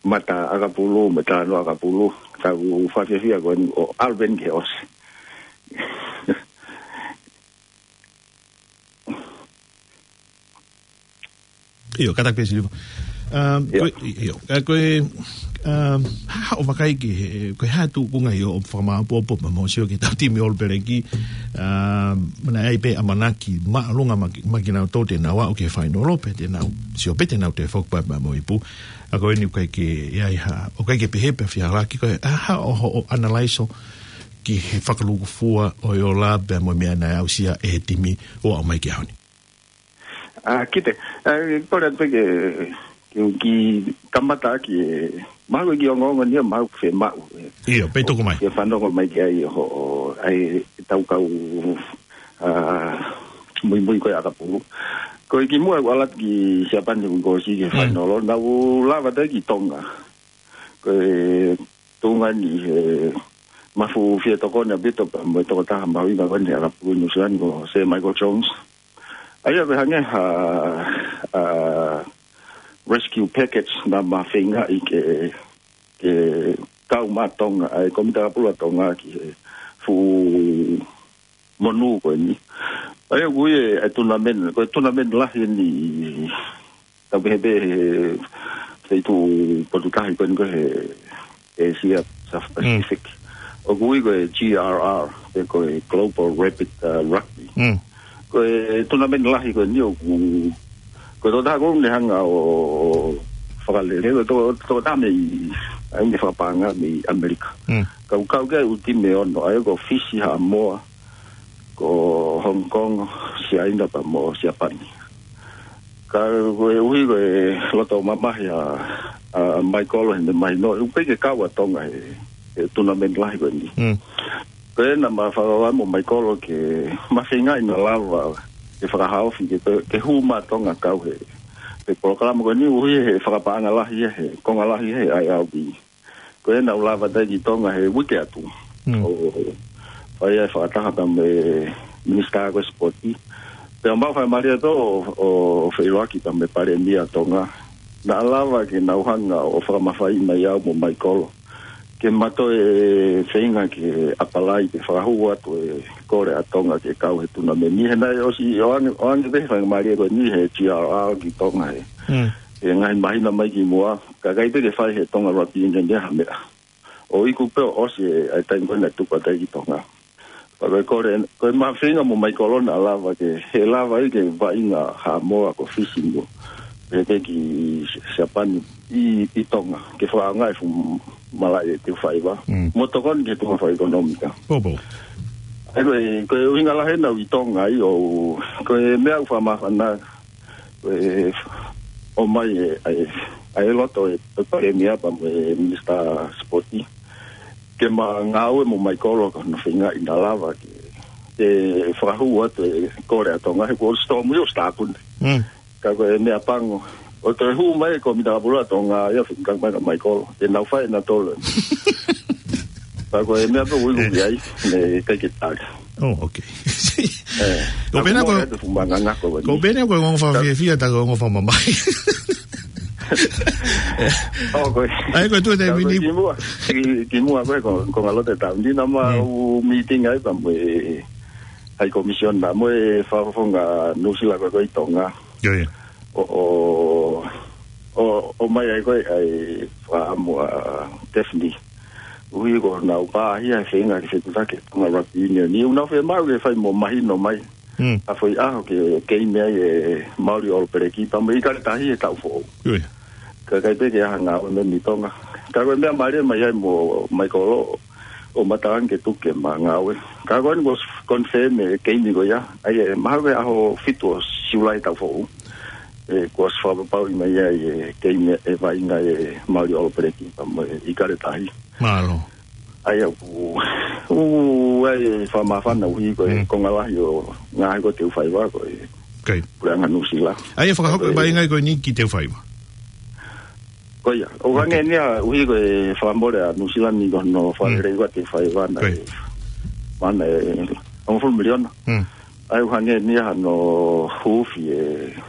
mata ʻakapulu, mo e talanoa ʻakapulu. Tau fakafiefia ko eni ʻo ʻalu pē eni ki he ʻosi. ʻIo, kātaki pē Siliva. Um, ʻIo. Ko e, ʻio, uh, ko e, um, ha, haʻo vakai ki he, ko e hā e tuʻunga ʻi hoʻo fakamāʻopoʻopo pea mo sio ki he tau timi ʻOlopeleki, um, naʻe ʻi ai pē ʻamanaki māʻolunga mai ki, mai kinautolu te nau aʻu ki he fainolo pea te nau, sio pē te nau toe foki pē mo e ipu. ʻA ko eni ʻoku ʻikai ke ʻi ai ha, ʻoku ʻikai ke pehē pē fihalaki ko e, ha, haʻo, hoʻo analaiso ki he fakalūkufua ʻo e ola pea mo e meʻa naʻe aʻusia ʻe he timi ʻo aʻu mai ki he ʻaho ni. Ah, Kite, eh, kole atu pē ke, ke, ke kamata ʻaki e, mahalo ʻoku ʻikai ke ongoongo ni ia mahalo ʻoku fiemaʻu, eh. ʻIo, pea tuku mai. Ke fanongo mai ki ai hoʻo, ʻa e tau kau, ah, muimui ko ia ʻakapulu. Ko e kimuʻa ʻeku ʻalu atu ki Siapani ʻeku ʻosi ki he Mm. fainolo, naʻá ku lava atu ai ki Tonga. Ko e tuʻunga ni he mafu fie tokoni ʻaupito pea mo e tokotaha mahuʻinga ko eni he ʻakapulu New Zealand ko Sir Michael Jones. ʻA ia ko e hangē ha, ah, rescue package naʻá ma feingaʻi ke, ke kau maʻa Tonga, ʻa e kōmiti ʻakapulu ʻa Tonga ki he fuʻu monū ko eni. ʻA ia ʻoku ʻi ai e, e tournament, ko e tournament lahi eni tau pehē pē he, he feituʻu potu tahi ko eni ko ē he ʻĒsia, South Mm. Pacific. ʻOku ui ko e G R R, pe ko e Global Rapid, uh, Rugby. Mm. Ko e tournament lahi ko eni ʻoku, ko e tokotaha ko ē ne hanga ʻo, ʻo fakalele, ko e to-, tokotaha mei, ʻa ia ne fakapaʻanga mei ʻAmelika. Mm. Kau, kau ki ai e ʻū timi ʻe ono, ʻa ia ko Fisi, Haʻamoa, ko Hong Kong, Siaina pea mo Siapani. Ka koeʻuhi ko e loto mamahi ʻa, ʻa Michael heʻene mahino, ʻoku ʻikai ke kau ʻa Tonga he, he tournament lahi ko eni. Mm. Ko ena naʻá ma fakataha mo Michael ke ma feingaʻi naʻa lava ke fakahaofi ke, ke, ke hū maʻa Tonga kau he, he polokalama ko eni, koeʻuhi he fakapaʻanga lahi ia, he konga lahi ia he I R B. Ko ena naʻá ku lava atu ai ki Tonga he uike atu. Mm. ʻO, ʻo fai ai e fakataha pea mo e minisitā ko ē sipoti. Pea mau faingamālie atu ʻo, ʻo feʻiloaki pea mo e palēmia ʻa Tonga. Naʻa lava ke nau hanga ʻo fakamafaiʻi mai au mo Michael ke ma toe feinga ke apalai ke fakahū atu e kole ʻa Tonga ke kau he tournament ni. He naʻe ʻosi ʻoange, ʻoange pē faingamālie ko eni he G R R ki Tonga he, Mm. he ngaahi māhina mai kimuʻa. Ka ʻikai pē ke fai he Tonga Rugby Union ia ha meʻa. ʻO iku pē ʻo ʻosi e, ʻa e taimi ko ē naʻe tuku atu ai ki Tonga. Pea ko e kole, ko e ma feinga mo Michael naʻa lava ke, he lava ai ke vaʻinga Haʻamoa ko Fisi mo, pehē ki Siapani, ʻi, ʻi Tonga, ke fakaʻaongaʻi e fuʻu malaʻe ʻe teau faiva. Mm. Mo tokoni ki he tuʻunga fakaʻekonōmika. Pōpō. ʻA ia ko e, ko e ʻuhinga lahi ʻena ʻi Tonga ʻi ʻo, ko e meʻa ʻoku fakamāfana, ko e ʻomai e, ʻa e, ʻa e loto e, e palēmia pea mo e minisitā sipoti. Ke ma ngāue mo Maikolo ko hono feingaʻi naʻa lava ke, ke fakahū atu e kole ʻa Tonga he kuo ʻosi tōmui ʻosi tāpuni. Mm. Ka ko e meʻa pango. ʻO toe hū mai ko e Minita Kapula Tonga ia fika mai ka Maikolo. Te nau fai ʻena tolo. Ka ko e meʻa pē ui ui ai, ne kai ke tali. Oh, okay. Eh, Ko pena ko, ko e fuʻu manganga ko ko ni. Pena ko e ongo fakafiefia ta ko e ongo fakamamahi. Oh, ko e. ʻA ia ko e tuʻu e taimi ni. Ki muʻa, ki, ki muʻa ko e ko, ko ngalo te tau. Ni na ma Mm. u meeting ai pea mo e High Commission na mo e fakafofonga Nuʻusila ko e ko e ʻi Tonga. Ia, ia. ʻO, ʻo, ʻo, ʻomai ai ko e, ʻa e fakaʻamu ʻa Daphne. ʻUhi ko ʻenau pāhia he feinga ke fetutaki Tonga Rugby Union. ʻI ʻenau fiemaʻu ke fai mo mahino mai. Mm. ʻA e foʻi ʻaho ke, ke ʻi ai e Maori All Black pea mo e ʻIkale Tahi he taʻu foʻou. Ia, ia. Ka kai pē ke ʻaonga ʻo mei Tonga. Ka ko e meʻa mālie mai ai mo Maikolo ʻo Matangi ke tuku ke ma ngāue. Ka ko eni kuo confirm e keimi ko ia. ʻA ia, mahalo ko e ʻaho fitu ʻo Siulai taʻu foʻou. ʻE, kuo ʻosi fakapapauʻi mai ai e keimi e vaʻinga e Maori All Black pea mo e ʻIkale Tahi. Mālō. ʻA ia ʻoku, ʻoku ʻi ai e fakamāfana ʻuhi ko e Mm. konga lahi ʻo ngaahi ko e teau faiva ko e Okay. puleʻanga Nuʻusila. ʻA ia fakahoko e Ko e vaʻinga ko eni ki he teau faiva. Ko ia, ʻoku hangē Okay. eni ia ʻuhi ko e fakamole ʻa Nuʻusila ni ko hono Mm. fakalelei ko e teau faiva na Okay. e, mana e, hongofulu miliona. Mm. ʻA ia ʻoku hangē eni ia hano huufi e,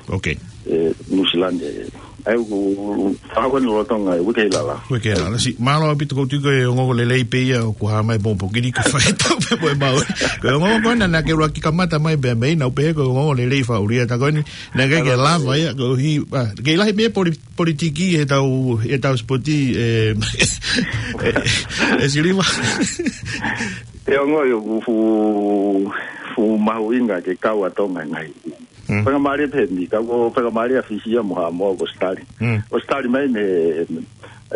Okay. e Nuʻusila ni e. ʻA ia ʻoku fakahoko eni lolotonga e uike ʻi lalo. Uike ʻi lalo. Si, mālō ʻaupito kou tui ko e ongoongo lelei pē ia ʻoku hā mai pongipongi ni ke fai e tau pē mo e mau. Ko e ongoongo ko ena naʻa ke ʻuluaki kamata mai pē mei, naʻa ku pehē ko e ongoongo lelei fakaʻulia ta ko eni. Naʻe ʻikai ke Alo. lava ia, koeʻuhi, ah, kei lahi pē poli-, politiki he tau, he tau sipoti, e, e, e Siliva. Te ongo ʻoku fuʻu, fuʻu mahuʻinga ke kau ʻa Tonga ngaahi. Mm. Faingamālie pē eni, ka ko e faingamālie ʻa Fisi ia mo Haʻamoa ʻoku ʻosi tali. Mm. ʻOsi tali mai mei he,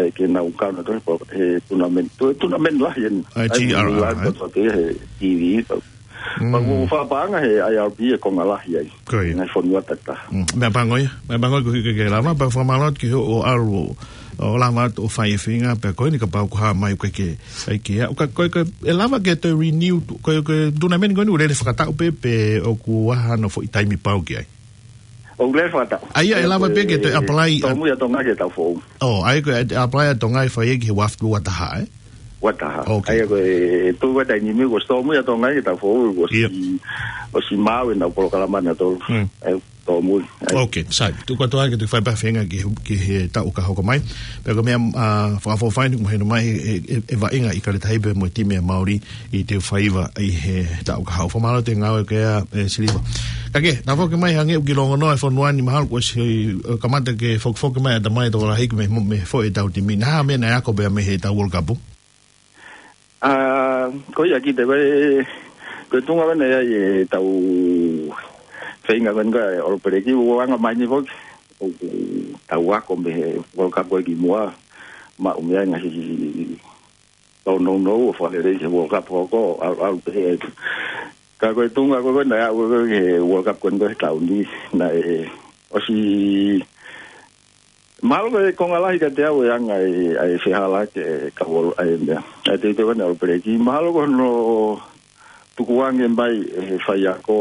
e, ke nau kau nautolu he, he tournament, to-, tournament lahi eni. ʻA e ʻA ia, T R R, lahi eh? ko e he T V, pa. Mm. Pa ko e fakapaʻanga he I R B e konga lahi ai. Ko ia. Ngaahi fonua tatau. Mm. Meʻa pango ia, meʻa pango ia koeʻuhi ke ke lava, pea fakamālō atu ki hoʻo ʻalu ʻo, ʻo lava atu ʻo fai e feinga, pea ko eni kapau ʻoku hā mai ʻoku ʻikai ke, ʻikai ke, ʻa, ʻoku ʻikai, ko e, ko e, ʻe lava ke toe renew, ko e, ko e tournament ko eni ʻoku lele fakataʻu pē, pe ʻoku ʻi ai hano foʻi taimi pau ki ai. ʻOku lele fakataʻu. ʻA ia, ʻe Ai, lava ko pē e ke toe apply ʻa tōmui ʻa Tonga ki he taʻu foʻou. Oh, ʻa ia ko e apply ʻa Tonga ʻe fai ki he ua fitu ua taha, eh? Ua taha. Okay. ʻA ia ko e, tuʻu ko e taimi ni kuo ʻosi tōmui ʻa Tonga ki he taʻu foʻou, kuo ʻosi, Yep. ʻosi maau ʻenau polokalama nautolu. Mm. ʻA ia tōmui. ʻA ia. Okay, sai. Tuku atu ai ke toe fai pē ha feinga ki he, ki he taʻu ka hoko mai. Pea ko e meʻa, ah, fakaʻofoʻofa eni, mahino mai e, e, e vaʻinga ʻIkale Tahi pea mo e timi ʻa Maori ʻi he teau faiva ʻi he taʻu ka hoko. Fakamālō atu e ngāue ko ia, e, Siliva. Ka ke, naʻa foki mai hangē ʻoku kiʻi longonoa e fonua ni mahalo kuo ʻosi, e, kamata ke fokifoki mai ʻatamai tokolahi ki he mo-, mei he foʻi ʻetau timi. Naʻa hā e meʻa naʻe ako pē mei he ʻetau World Cup? Ah, ko ia kiate au, ko e tuʻunga ko ena ia ʻetau feinga ko ena ko e All Black, ʻoku anga mai ni foki, ʻoku tau ako mei he World Cup ko ē kimuʻa, maʻu mei ai e ngaahi tōnounou ʻo fakalelei ki he World Cup ko ē, ʻalu, ʻalu pē he. Ka ko e tuʻunga ko ē naʻe aʻu ko ē ki he World Cup ko eni ko ē he taʻu ni, naʻe ʻosi mahalo ko e konga lahi kiate au e anga e, ʻa e fehālaaki e kau All, ʻa e meʻa. ʻA e teuteu ko eni All Black. Mahalo ko hono tukuange mai ʻe he faiako,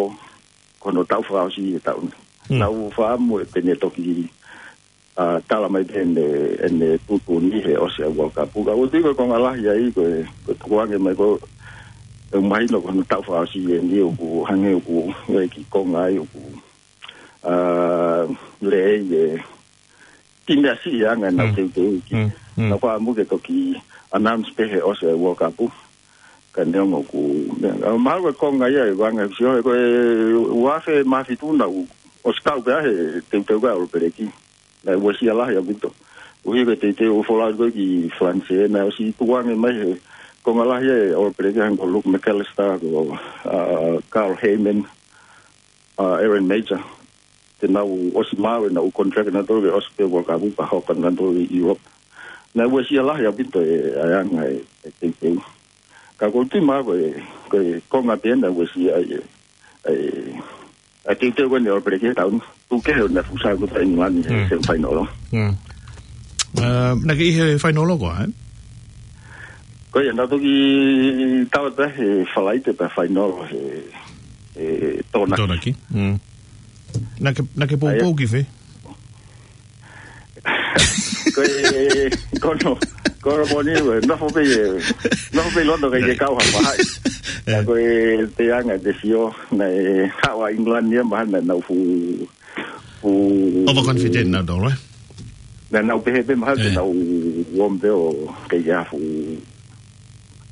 ko hono taʻu fakaʻosi e taʻu ni. Hmm. Naʻa ku fakaʻamu ʻe te ne toki, ah, tala mai pē ʻene, ʻene tuʻutuʻuni he ʻosi e World Cup. Ka ʻoku ou tui ko e konga lahi ai, ko e, ko e tukuange mai ko e mahino ko hono taʻu fakaʻosi eni ʻoku hangē ʻoku, ʻe ki konga ai ʻoku, ah, lelei e ki meʻa siʻi ʻa e anga ʻenau Mm. teuteu ki. Mm, mm. Naʻa ku fakaʻamu ke toki announce pē he ʻosi e World Cup. Ka neongo ʻoku, ah, mahalo ko e konga ia e vanga sio he ko e ua afe mā fitu naʻa ku ʻosi kau pē he teuteu ko ē All Black. Naʻe uesia lahi ʻaupito. ʻUhi ko e teuteu ʻo folau ko ē ki Falanise, naʻe ʻosi tukuange mai he konga lahi e All Black hangē ko Luke McAlister, ko, ah, Carl Hayman, ah, Aaron Mauger. te nau ʻosi maʻu ʻenau contract nautolu ke ʻosi pē World Cup pea hoko nautolu ʻi Europe. Naʻe uesia lahi ʻaupito e, ʻa e anga e, e teuteu. Ka ʻoku ou tui mai ko e, ko e konga pē naʻe uesia ai e, e, ʻa e teuteu ko eni ʻa ʻAlo Peleki he taʻu ni. Tuku kehe ʻo naʻe fuʻu saiʻia ʻa England he Mm. semifinal. Mm. Uh, naʻe ʻi he final ko ē? Ko ia, naʻe toki tau atu he Falaite pea final he, he Tokonaki. Tokonaki. Mm. Naʻe ke, naʻe ke poupou ki fē? Ko e, ko hono, ko hono moʻoni, ʻe, nofo pē, ʻe, nofo pē ʻi Lonto kae ʻikai ke kau ha faʻahi. Ka ko e te anga te sio, naʻe haʻu ʻa England ia mahalo naʻa nau fuʻu, fuʻu overconfident nautolu, ē? Naʻa nau pehē pē mahalo te nau ō mai pē ʻo kei ʻi ai ha fuʻu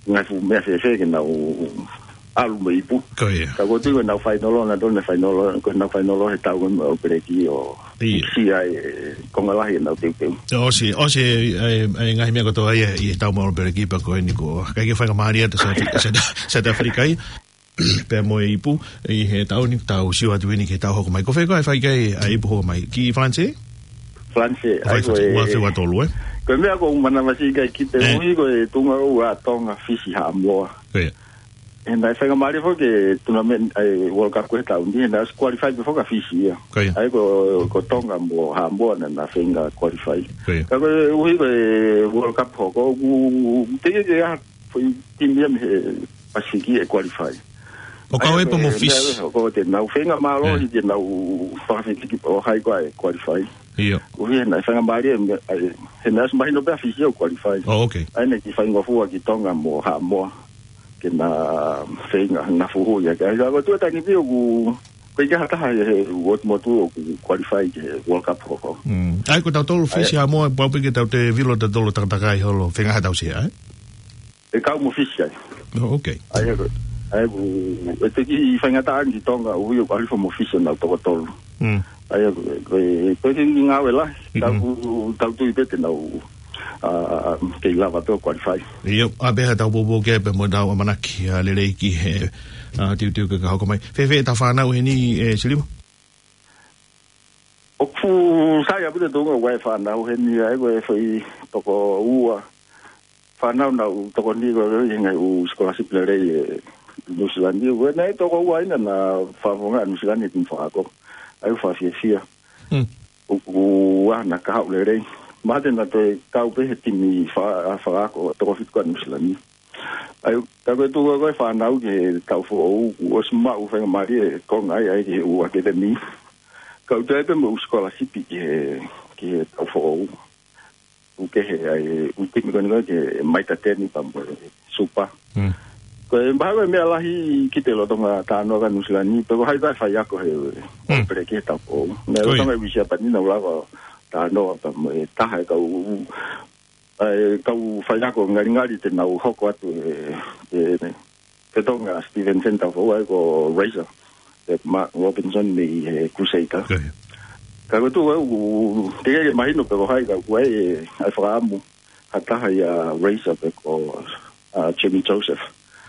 ngaahi fuʻu meʻa fēfē ke nau ʻalu mo e ipu. Ko ia. Ka ʻoku ou tui ko ʻenau final nautolu, naʻe final, ko ʻenau final he taʻu ko ē mo ʻAlo Peleki ʻo ʻIo. ʻIsi ai e konga lahi ʻenau teuteu. ʻOsi, ʻosi e, e, e ngaahi meʻa kotoa ia ʻi he taʻu mo ʻAlo Peleki pea ko eni ko, ʻikai ke faingamālie ʻa South, South, South Africa ia. Pea mo e ipu, ʻi he taʻu ni tau sio atu eni ki he taʻu hoko mai. Ko fē koā ʻe fai ki ai ʻa e ipu hoko mai? Ki Falanisē? Falanisē, ʻA, fai ai ko Falanisē, e, ua afe ua tolu, ē? Ko e meʻa ʻoku ou manavasiʻi ki ai, ʻuhi ko e tuʻunga ʻoku ʻa Tonga, Fisi, Haʻamoa. Ko ia. He naʻe faingamālie foki e tournament, ʻa e World Cup ko ē he taʻu ni, he naʻe ʻosi qualify pē foki ʻa Fisi ia. Ko ia. ʻA ia ko, ko Tonga mo Haʻamoa naʻa na feinga qualify. Ko ia. Ka koeʻuhi ko e World Cup hoko, ʻoku teʻeki ke ʻi ai ha foʻi timi ia mei he Pasifiki ʻe qualify. ʻO kau ai pē mo Fisi. Ko te nau feinga mālohi ke nau fakafekiki ʻo hai koā ʻe qualify. ʻIo. ʻUhi he naʻe faingamālie, ʻa e, he naʻe ʻosi mahino pē ʻa Fisi ʻoku qualify. Oh, okay. ʻA ia naʻe kiʻi faingofua ki Tonga mo Haʻamoa ke na feinga, na fuhu ia. Ka ko e tuʻu ʻa e taimi ni ʻoku, ʻoku ʻikai ha taha he, he ʻotumotu ʻoku qualify ki he World Cup hoko. Mm. ʻA ia ko tautolu Fisi, Haʻamoa, pau pē ke tau te vilo tautolu takatakai holo, feinga ha tau sia, ē? ʻE kau mo Fisi ai. Oh, okay. ʻA ia ko, ʻa ia ko, ʻe toki faingataʻa ange ki Tonga, ʻuhi ʻoku ʻalu hifo mo Fisi ʻenau toko tolu. Mm. ʻA ia ko, ko, ko e kiʻi ngāue lahi, Mm-mm. tau, tau tui pē te nau, ʻa, kei lava pē ʻo qualify. ʻIo, ʻa pē ha tau poupou ki ai pea mo ʻetau ʻamanaki, ʻa, lelei ki he, ʻa, teuteu ko ē ka hoko mai. Fēfē ʻetau fānau heni, ʻe Siliva? ʻOku sai ʻaupito e tuʻunga ʻoku ʻi ai e fānau heni, ʻa ia ko e foʻi toko ua fānau naʻa nau tokoni ko ē ʻi he ngaahi ʻū scholarship lelei ʻi Nuʻu Sila ni. Ko e naʻe toko ua ʻi ai naʻa na fakafofongaʻi ʻa Nuʻu Sila ni he timi fakaako. ʻA ia ʻoku fakafiefia. Mm. ʻOku, ʻoku ʻi ai ha kahaʻu lelei. Mahalo te na toe kau pē he timi fa-, fakaako toko fitu ko ē ʻa Nuʻu Sila ni. ʻA ia, ka ko e tuʻunga ko ē e fānau ki he taʻu foʻou, kuo ʻosi maʻu faingamālie e konga ai, ʻa ia ki he ʻū academy. Kau ai pē mo e ʻū scholarship ki he, ki he taʻu foʻou. ʻOku kehe ai e ʻū timi ko eni ko ē ki he Maita Teni pea mo e Super. Mm. Ko e mahalo ko e meʻa lahi ki he lolotonga talanoa ʻa Nuʻu Sila ni, pe ko hai pē ʻa e faiako he, Mm. ʻAlo Peleki he taʻu foʻou. Naʻe Ko ia. lolotonga e ʻū Siapani naʻa nau lava talanoa pea mo e taha e kau, ʻa e kau faiako ngalingali te nau hoko atu e, e, e Tonga Stevenson taʻu foʻou ʻa ia ko Razor. E Mark Robinson mei he Crusader. Ko ia. Ka ko e tuʻunga ʻoku teʻeki ke mahino pe ko hai ka ʻoku ʻi ai e, ʻa e fakaʻamu ha taha ia Razor pe ko, ʻa, Jamie Joseph.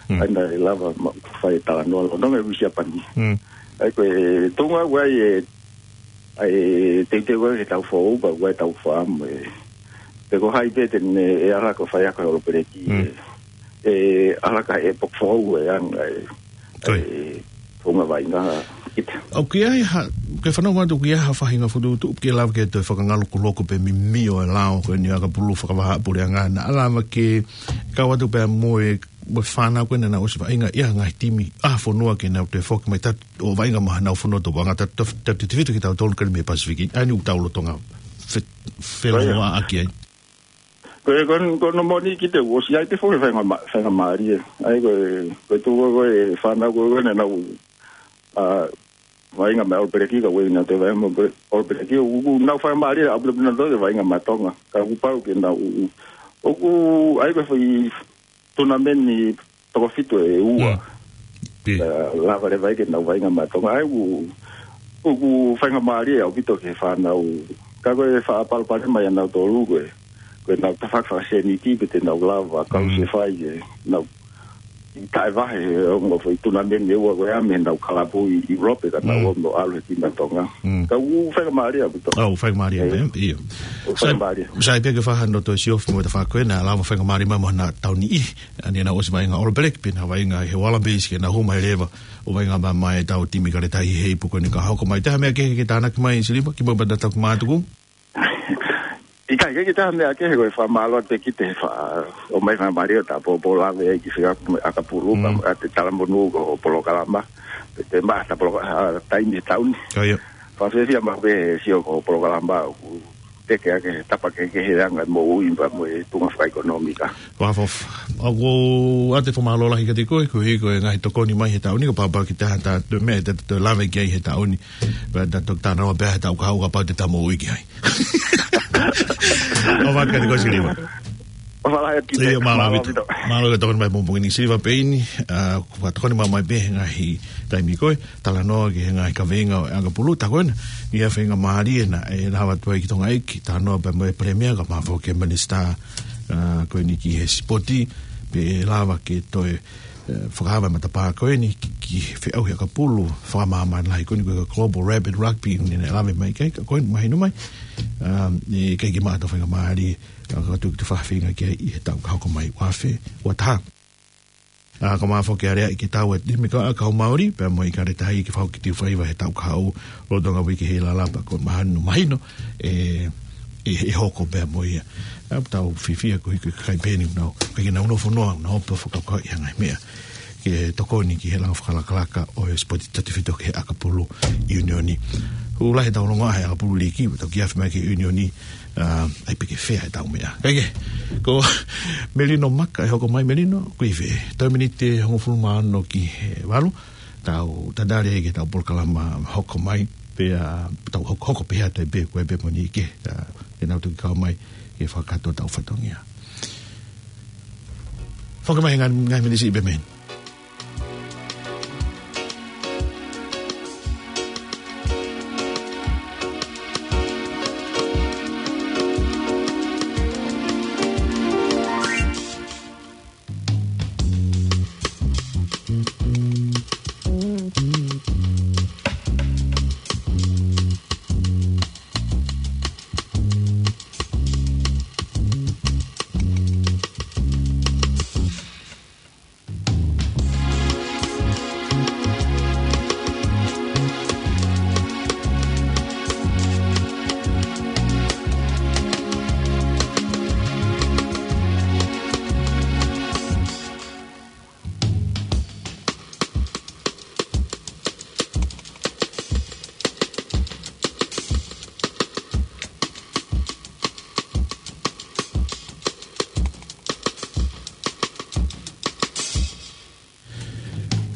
Mm. ʻA ia naʻe lava mo fai e talanoa lolotonga e ʻū Siapani. Mm. ʻA ia ko e tuʻunga ʻoku ʻi ai e, ʻa e teuteu ko ē he taʻu foʻou pea ʻoku ʻi ai e tau fakaʻamu e. Pe ko hai pē te ne, ʻe ala ko e faiako ʻa e ʻAlo Peleki Mm. e, ʻe ala ka e pok foʻou e anga e, Ko ia. e, tuʻunga vaʻinga ʻita. ʻOku ʻi ai ha, ke fanongo atu ʻoku ʻi ai ha faʻahinga fokotuʻutuʻu ke lava ke toe fakangalokuloko pe mimio e lao ko eni ʻa e ʻakapulu fakavahaʻapuleʻanga naʻa lava ke kau atu pea mo e, mo e fānau ko ē naʻa nau ʻosi vaʻinga ʻi ha ngaahi timi ʻa e fonua ke nau toe foki mai atu ʻo vaʻinga mo haʻanau fonua topuʻanga atu, atu, atu, atu, atu, atu ki tautolu ko eni mei Pasifiki. ʻA ia ʻoku tau lolotonga fe-, Ko ia. feʻiloaki ai. Ko e, ko, ko hono moʻoni ki he ʻosi ʻi ai pē foki e faingamā-, faingamālie. ʻA ia ko e, ko e tuʻunga ko ē e fānau ko ē naʻa nau, ʻa, vaʻinga mo e ʻAlo Peleki ka ʻoku ʻikai ke nau toe vaʻinga mo e ʻAlo Peleki, ʻoku nau faingamālie ʻaupito pē nautolu ke vaʻinga mo Tonga. Ka kuo pau ke nau, ʻoku, ʻa ia ko e foʻi tournament ni toko fitu ʻe ua. Mm. Pē. ʻA, lava leva ai ke nau vaʻinga mo Tonga. ʻA ia ʻoku, ʻoku faingamālie ʻaupito ki he fānau. Ka ko e faʻa palopalema ia ʻanautolu ko e, ko ʻenau tafaʻaki fakasēniti pe te nau lava, kau Mm. se fai ke nau ʻi taʻevahe, ʻo ngofo ʻi tunameni ʻe ua ko ē mei heʻenau kalapu ʻi Europe, ka tau Mm. ō mo ʻalu he timi ʻa Tonga. Mm. Ka ʻoku faingamālie ʻaupito. ʻOku faingamālie, ʻIo. ē, ʻio. ʻOku faingamālie. Sai, sai pē ke fai hano toe siofi mo e tafaʻaki ko ē, naʻa lava faingamālie mai mo hona tau niʻihi. ʻA ia naʻa nau ʻosi vaʻinga All Black, pea nau vaʻinga he Wallabies ke nau hū mai leva ʻo vaʻinga mai mo e tau timi Kaletahi he ipu ko eni ka hoko mai. Taha meʻa kehe ke tānaki mai Siliva, kimuʻa pea tau toki mātuku? ʻIkai ke ʻi ai ha meʻa kehe, ko e fakamālō atu pē ki he fa-, ʻomai fakamālō atu, pōpō lave ai ki he ʻakapulu, Mm. ʻa e talamonū ko e polokalama, pe te mata poloka-, ʻa, taimi he taʻu ni. ʻIo. Fakafiefia maʻu pē he sio ko e polokalama, ʻoku teke ake he tapa kehekehe ʻa e anga moʻui pea mo e tuʻunga fakaʻekonōmika. Fakafoʻou. ʻOku ʻoatu e fakamālō lahi kiate koe, koeʻuhi ko e ngaahi tokoni mai he taʻu ni, kapau ʻe ʻi ai ha taha ʻe toe meʻa te te lave ki ai he taʻu ni. Pea te toki talanoa pē he taʻu kahaʻu kapau te ta moʻui ki ai. ʻOfa atu kiate koe Siliva. ʻOfa lahi atu kiate koe. ʻIo, mālō ʻaupito. Mālō ʻaupito. Mālō e tokoni mai pongipongi ni Siliva Peini, ʻa, ʻoku tokoni mai pē he ngaahi taimi ko ē, talanoa ki he ngaahi kaveinga ʻo e ʻakapulu, tā ko ena, ʻi he faingamālie naʻe lava atu ai ki Tonga ʻEiki, talanoa pē mo e Palēmia, kae ʻumaʻā foki e Minisitā, ʻa, ko eni ki he Sipoti, pea lava ke toe ʻe, fakaava e matapā ko eni ki, ki he feʻauhi ʻakapulu fakamāmani lahi ko eni ko e Global Rabbit Rugby, ʻoku ne lave mai ki ai, ka ko eni mahino mai, um, ʻe ʻikai ke maʻu ha faingamālie, ʻa, ka tuku te fafeinga ki ai ʻi he taʻu ka hoko mai ua afe ua taha. ʻA, ka mafoke alea ʻi he tau e timi ko ē ʻa Kau Maori, pea mo e Kaletahi ke fakahoko e faiva he taʻu kahaʻu, lolotonga uike he lala pea ko e mahino, mahino, ʻe, ʻe, ʻe hoko pea mo ia. ʻA, tau fiefia koeʻuhi ko e kakai pē eni ʻoku nau, ʻikai ke nau nofo noa, nau ō pē ʻo fakakaukauʻi ha ngaahi meʻa ke tokoni ki he langa fakalakalaka ʻo e sipoti tautefito ki he ʻakapulu ʻiunioni. ʻOku lahi ʻetau longoaʻa he ʻakapulu līki, tau kiʻi afe mai ki he ʻiunioni, ʻa, ʻai pē ke fea ʻetau meʻa. Kae kehe, ko Melino Maka ʻe hoko mai. Melino, ʻoku ʻi fē? Toe miniti ʻe hongofulu mā ono ki he valu. Tau tatali ki heʻetau polokalama hoko mai, pea tau hoko, hoko pē atu ai pē, ko e pē mo ni ke, ʻa, ʻenau toki kau mai ke fakakakato ʻetau fatongia. Foki mai he ngaahi, ngaahi miniti siʻi pē mei heni.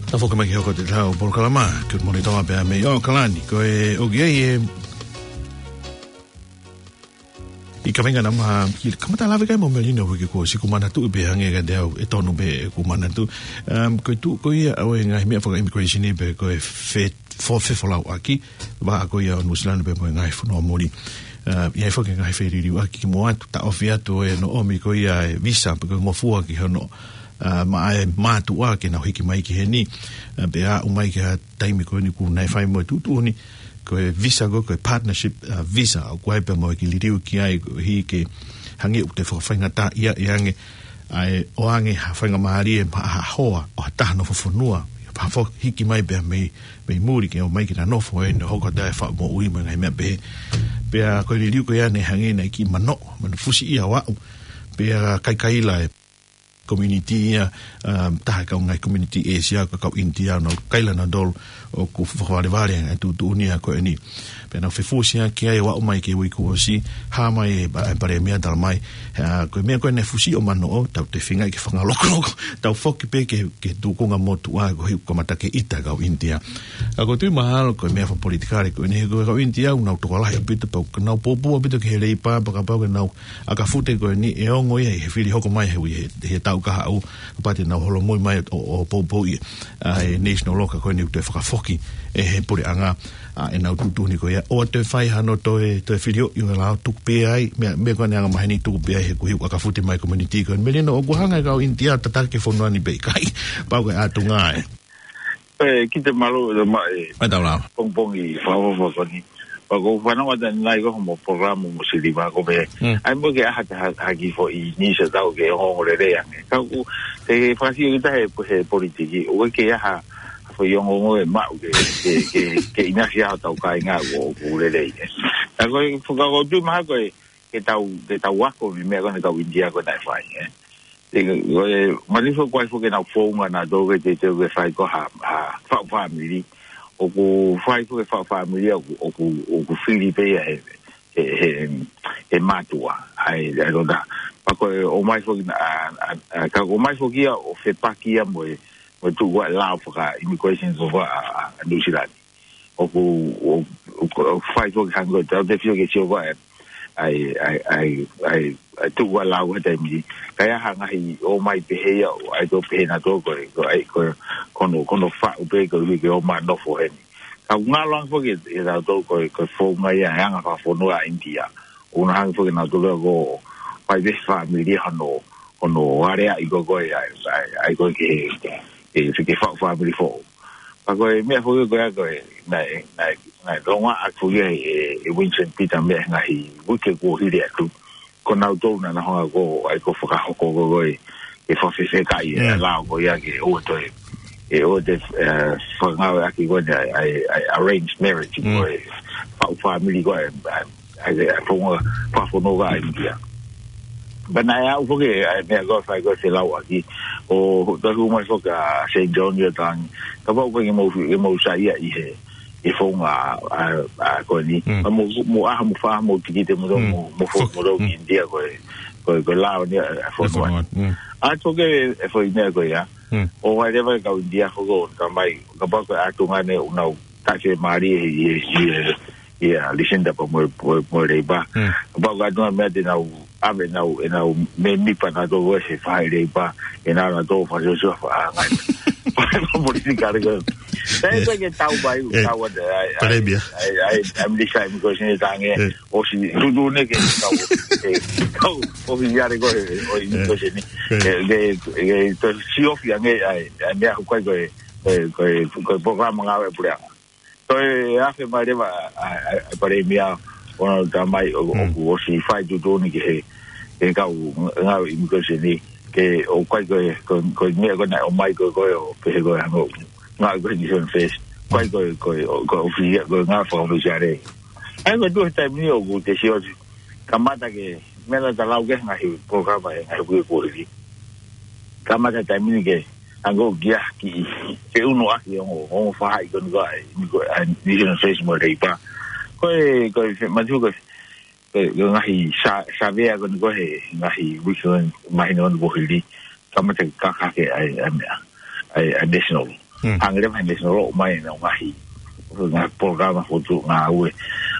Tau foki mai ki he hoko atu ʻetau polokalama, ko e Monitor pea mei ʻAokalani, ko e ʻoku ʻi ai e, ʻi he kaveinga naʻa ma, ki, kamata lave ki ai mo Melino uike kuo ʻosi, ʻoku ou manatuʻi pē hangē kiate au ʻe tonu pē ʻeku manatu. Um, ko e tuʻu ko ia ʻo e ngaahi meʻa faka-immigration pe ko e fe-, fo-, fefolauʻaki, vaʻa ko ia ʻo Nuʻusila pea mo e ngaahi fonua muli. Uh, ʻi ai foki e ngaahi feliliuaki kimuʻa atu, taʻofi atu ʻe hono ʻomi ko ia e visa, pe ko e ngofua ki hono, uh, maʻa e mātuʻa ke nau hiki mai ki heni. Uh, pea aʻu mai ki he taimi ko eni ʻoku nau fai mo e tuʻutuʻuni, ko e visa ko, ko e partnership, uh, visa, ʻoku ʻi ai pē mo e kiʻi liliu ki ai, koeʻuhi ke hangē ʻoku toe fakafaingataʻaʻia ange, ʻa e ʻoange ha faingamālie maʻa ha hoa ʻo ha taha nofo fonua, pea foki hiki mai pea mei, mei muli ke ō mai ke na nofo ai, ne hoko atu e faʻu moʻui mo e ngaahi meʻa pehē. Pea ko e liliu ko ia naʻe hangē naʻe kiʻi manoʻo, manu fusi ia ʻo aʻu. Pea kaikaila e community ia, um, taha e kau ngaahi community ʻĒsia, ko e kau ʻInitia, nau kaila nautolu ʻoku fakavalevale e tuʻutuʻuni ko eni. Pea nau fefusiaki ai ʻo aʻu mai ki he uike kuo ʻosi, hā mai e pa-, e Palēmia tala mai, ʻa, ko e meʻa ko ē naʻe fusi ʻo manoʻo, tau toe feinga ke fakalokoloko, tau foki pē ki he, ki he tūkunga motuʻa koeʻuhi ʻoku kamata ke ʻita e kau ʻInitia. ʻA, ʻoku ou tui mahalo ko e meʻa fakapolitikale ko eni he ko e kau ʻInitia ʻoku nau tokolahi ʻaupito pea ʻoku nau pōpula ʻaupito ki he lepa pea kapau ke nau ʻakafute ko eni ʻe ongo ia ʻi he fili hoko mai he ui he, he taʻu kahaʻu, kapau te nau holomui mai ʻo, ʻo poupouʻi ʻa e national loka ko eni ʻoku toe fakafoki ʻe he puleʻanga ʻa ʻenau tuʻutuʻuni ko ia. ʻOua toe fai hano toe, toe filioʻi ʻo e lao, tuku pē ai, meʻa, meʻa ko eni anga maheni, tuku pē ai he kuo hiu ʻakafute mai komunitī ko eni. Melino, ʻoku hanga e kau ʻInitia ʻo tataki e fonua ni pe ʻikai, pau ko e ʻatunga ē. ʻE, ki te malo, ʻe, ma, ʻe, Mai tau lao. pongipongi, fakafofonga ni. Pea ko u fanongo atu ʻanenai ko hoʻomo polokalama mo Siliva ko pē. Mm. ʻAi mo ke ʻai ha, ha, ha kiʻi foʻi news ʻe tau ke ongoongo lelei ange. Ka ʻoku, te fakasio kita he, he politiki, ʻoku ʻikai ke ʻai ha, ha foʻi ongoongo ʻe maʻu ke, ke, ke, ke ʻinasi ai hotau kāinga ʻoku, ʻoku lelei, ē. Ka ko e, faka-, ko u tui mahalo ko e, ke tau, ke tau ako mei he meʻa ko eni ʻa e kau ʻInitia ko ē naʻe fai, ē. Te, ko e, manifo ko e foki ʻenau founga naʻa tau ke te, te ke fai ko ha, ha, faʻu fāmili. ʻOku fai foki e faʻu fāmili ʻoku, ʻoku, ʻoku fili pē ia he, he, he, he mātuʻa. ʻAi, ʻai lota. Pea ko e ʻomai foki na, ʻa, ʻa, ʻa, ka ʻomai foki ia ʻo fepaki ia mo e, mo e tuʻu ʻa e lao faka-immigration ko ē ʻa, ʻa, ʻa New Zealand. ʻOku, ʻo, ʻo, ʻo fai foki hangē ko e tau te fio ke sio ko ē ʻa e, ʻa e, ʻa e, ʻa e, ʻa e tuʻu ʻa e lao he taimi ni. Ka ʻi ai ha ngaahi ō mai pehē ia, ʻo ʻai tō pehē naʻa tō ko e, ko e, ko e, ko hono, ko hono faʻu pē ko e ʻuhi ke ō mai ʻo nofo heni. Ka ʻoku ngalo ange foki ʻe, ʻe tautolu ko e, ko e founga ia ʻa e anga fakafonua ʻa ʻInitia. ʻOku nau hanga foki naʻa tō ko e fai pē fāmili hono, hono aleaʻi ko ē ʻa e, ʻa e, ʻa e ko e ke, ke, ke faʻu fāmili foʻou. Pea ko e meʻa foki ko ia ko e, naʻe, naʻe, naʻe longoaʻa foki ʻe, ʻe, ʻe Winston Peters mei he ngaahi uike kuo hili atu. Ko nautolu naʻa nau hanga ko ē ʻai ko e fakahoko ko ē, ʻe fakafefekaʻi ʻa e Mm. lao ko ia ke ʻoua toe, ʻe ʻoua toe, ē, fakangāueʻaki ko ē ʻa e, ʻa e, ʻa e arranged marriage Mm. ko e faʻu fāmili ko ē, ʻa e, ʻa e, ʻa e founga, fakafonua ʻa ʻInitia. Pea naʻe aʻu foki, ʻa e meʻa ko ē fai ko ē felauʻaki, ʻo toe hū mai foki ʻa Saint John ʻi ʻOtangi. Kapau ko e ke mou, ke mou saiʻia ʻi he, ʻi he founga, ʻa, ʻa, ko eni. Mm. Pea mou, mou ʻai haʻamou fā, mou tikite mou, Mm. mou, mou fo, Fo, mou mm. ʻInitia ko e, ko e, ko e lao ni ʻa, ʻa e fonua. fonua, mm. ʻA tō ke e foʻi meʻa ko ia. Mm. ʻO ʻai leva e kau ʻInitia foki ʻo tala mai, kapau ko e ʻatunga ni ʻoku nau taʻe mālie ʻi, ʻi, ʻi, ʻi, ʻa Lucinda pea mo, mo, mo Leipa. Mm. Kapau ko e ʻatunga meʻa te nau ʻave ʻenau, ʻenau mēmipa naʻa tō ko ē he fai Leipa, ʻenau naʻa tō fai sosua fa, ʻa, ngai. Fai fa politikale ko ē. Sai Yeah. pē ke tau mai, Yeah. tau atu, ʻai, ʻai, Palēmia. ʻai, ʻai, ʻai, ʻai, mili sai mi ko sini tange, Yeah. ʻosi tutu ne ke tau, ke tau, ʻosi yare ko ē, ʻo i Yeah. ko sini. Yeah. Ke, ke, ke, to siofi ange, ʻai, ʻai, meʻa ko ē ko e, ko e, ko e, ko e polokalama ngāue puleʻanga. Ko e afe mai leva ʻa, ʻa, ʻa, ʻa Palēmia ʻo nau tala mai ʻo, Mm. ʻoku ʻosi fai tuʻutuʻuni ki he, he kau ngāue immigration ni, ke ʻoku ʻikai ko e, ko, ko e meʻa ko ē naʻe ʻomai ko ē ko e ʻo pehē ko e hangē ʻoku ngāue ko ē he Nation First. ʻIkai ko e, ko e, ʻo, ko e ʻofisi, ko e ngāue fakaʻofisiale. ʻAi ko e tuʻu he taimi ni ʻoku te sio atu. Kamata ke, meʻa naʻa ta lau ki he ngaahi polokalama he ngaahi uike kuo hili. Kamata taimi ni ke, ʻa ko kia ki, ke ʻunu ʻaki ʻo, ʻo fahaʻi ko eni ko ē, ni ko ē, ʻa, Nation First mo Leipa. Ko e, ko e, fe, matu ko e, ko e, ko e ngaahi sa, savea ko eni ko ē he, ngaahi uike ko ē, mahino ko eni kuo hili. Kamata ke kakake ʻa e, ʻa e meʻa, ʻa e, ʻa e National. Mm. Hangē leva he National ʻo mai ʻenau ngaahi, ngaahi polokalama fotu ngāue.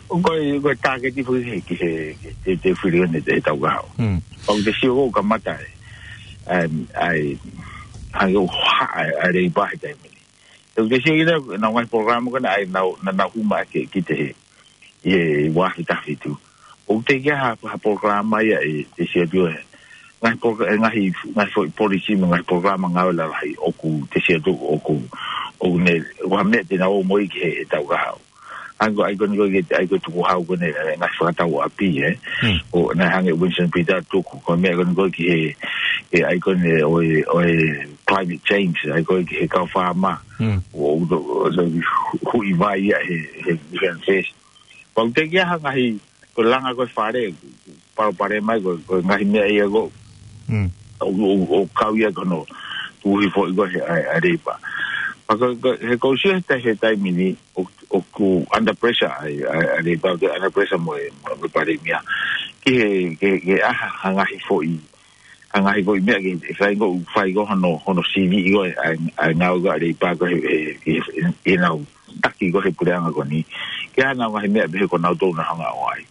Ko e, ko e tāketi foki he, ki he, ki he, te, te fili ʻo ne te tau kaho. Mm. ʻOku te sio ko ē kamata ē, ʻa e, ʻa e, hangē ʻoku haʻa ʻa e, ʻa e Leipa he taimi ni. ʻOku te sio ki he, nau ngaahi polokalama ko ē naʻa nau, naʻa nau hū mai ke, ki te he, ʻi he ua afe taha fitu. ʻOku teʻeki ai ha, ha polokalama ia ʻe te sio atu he ngaahi poloka-, ʻe ngaahi, ngaahi foʻi policy mo e ngaahi polokalama ngāue lalahi ʻoku te sio atu ʻoku, ʻoku ne, ʻoku ha meʻa te nau ō mo ia ki he, he tau kahaʻu. ʻAi ko, ʻai ko eni ko ē, ʻai ko e tukuhau ko eni, ʻe ngaahi fakatau ʻapi, ē. Hmm. ʻO naʻe hangē Winston Peters tuku, ko e meʻa ko eni ko ē ki he, ʻe ʻai ko eni ʻo e, ʻo e climate change, ʻai ko ē ki he kau faama. Hmm. ʻO, ʻo, ʻo, ʻo, hu-, huʻi vai ia he, he, he, he, Pau te kia ha ngaahi, ko e langa ko e fale, palopalema ia, ko, ko e ngaahi meʻa ia ko. Mm. ʻO, ʻo, ʻo kau ia ko hono, tuhi foʻi ko ē he, ʻa e, ʻa e Leipa. Pea ko, ko, he ko u sio he tai-, he taimi ni, ʻo, ʻoku under pressure ʻa e, ʻa e, ʻa e Leipa, ʻoku under pressure mo e, mo e Palēmia. Ki he, ke, ke ʻai ha ngaahi foʻi, ha ngaahi foʻi meʻa ke, ke fai ko, fai ko hono, hono sivi ʻi ko e, ʻa e, ʻa e ngāue ko ē ʻa e Leipa ko ē he, he, he, he nau taki ko ē he puleʻanga ko eni. Ke ʻai ha ngaahi meʻa pehē ko nautolu naʻa nau hanga ʻo ʻai.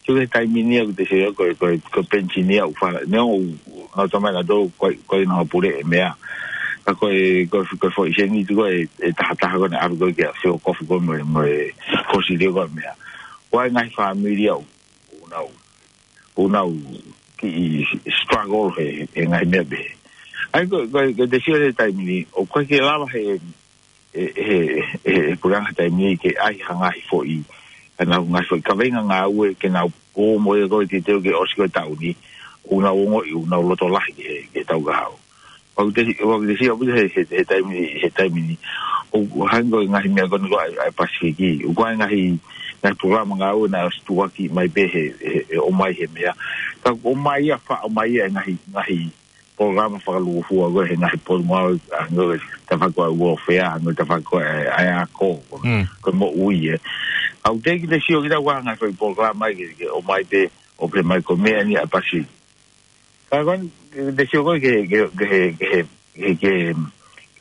Ko e taimi ni ʻoku te sio ko e, ko e, ko e penisioni ʻoku fala, neongo ʻoku nau tala mai nautolu ko e, ko e nau pule e meʻa. Ka ko e, ko e, ko e foʻi sēniti ko ē, ʻe taha taha ko ē naʻe ʻalu ko ē ke ʻalu ʻo kofu ko ē mo e, mo e fosili ko ē meʻa. Ko e ngaahi fāmili ʻoku nau, ʻoku nau kiʻi struggle he, he ngaahi meʻa pehē. ʻA ia ko, ko, ko e te sio he taimi ni, ʻoku ʻikai ke lava he, he, he, he, he puleʻanga taimi ni ke ʻai ha ngaahi foʻi, ha ngaahi foʻi kaveinga ngāue ke nau ō mo ia ko ē te teu ke ʻosi ko ē taʻu ni, ʻoku nau ongoʻi, ʻoku nau loto lahi he, he taʻu kahaʻu. ʻOku te, ʻoku te sio ʻaupito he, he, he taimi ni, he taimi ni. ʻOku hangē ko e ngaahi meʻa ko eni ko ē ʻa e, ʻa e Pasifiki. ʻOku ʻi ai e ngaahi, ngaahi polokalama ngāue naʻe ʻosi tuʻuaki mai pē he, he, he ʻomai he meʻa. Ka ʻoku ʻomai ia, faʻa ʻomai ia e ngaahi, ngaahi polokalama fakalūkufua ko ē he ngaahi potungāue, hangē ko e tafaʻaki ko ē ʻa e welfare, hangē ko e tafaʻaki ko ē ʻa e, ʻa e ako, Mm. ko e moʻui ē. ʻOku teʻeki te sio kita ʻoku ʻi ai ha ngaahi foʻi polokalama ke, ke ʻomai pē, ʻo pehē mai ko e meʻa eni ʻa e Pasifiki. Ka ko eni, te sio ko ē ke, ke, ke, ke, ke, ke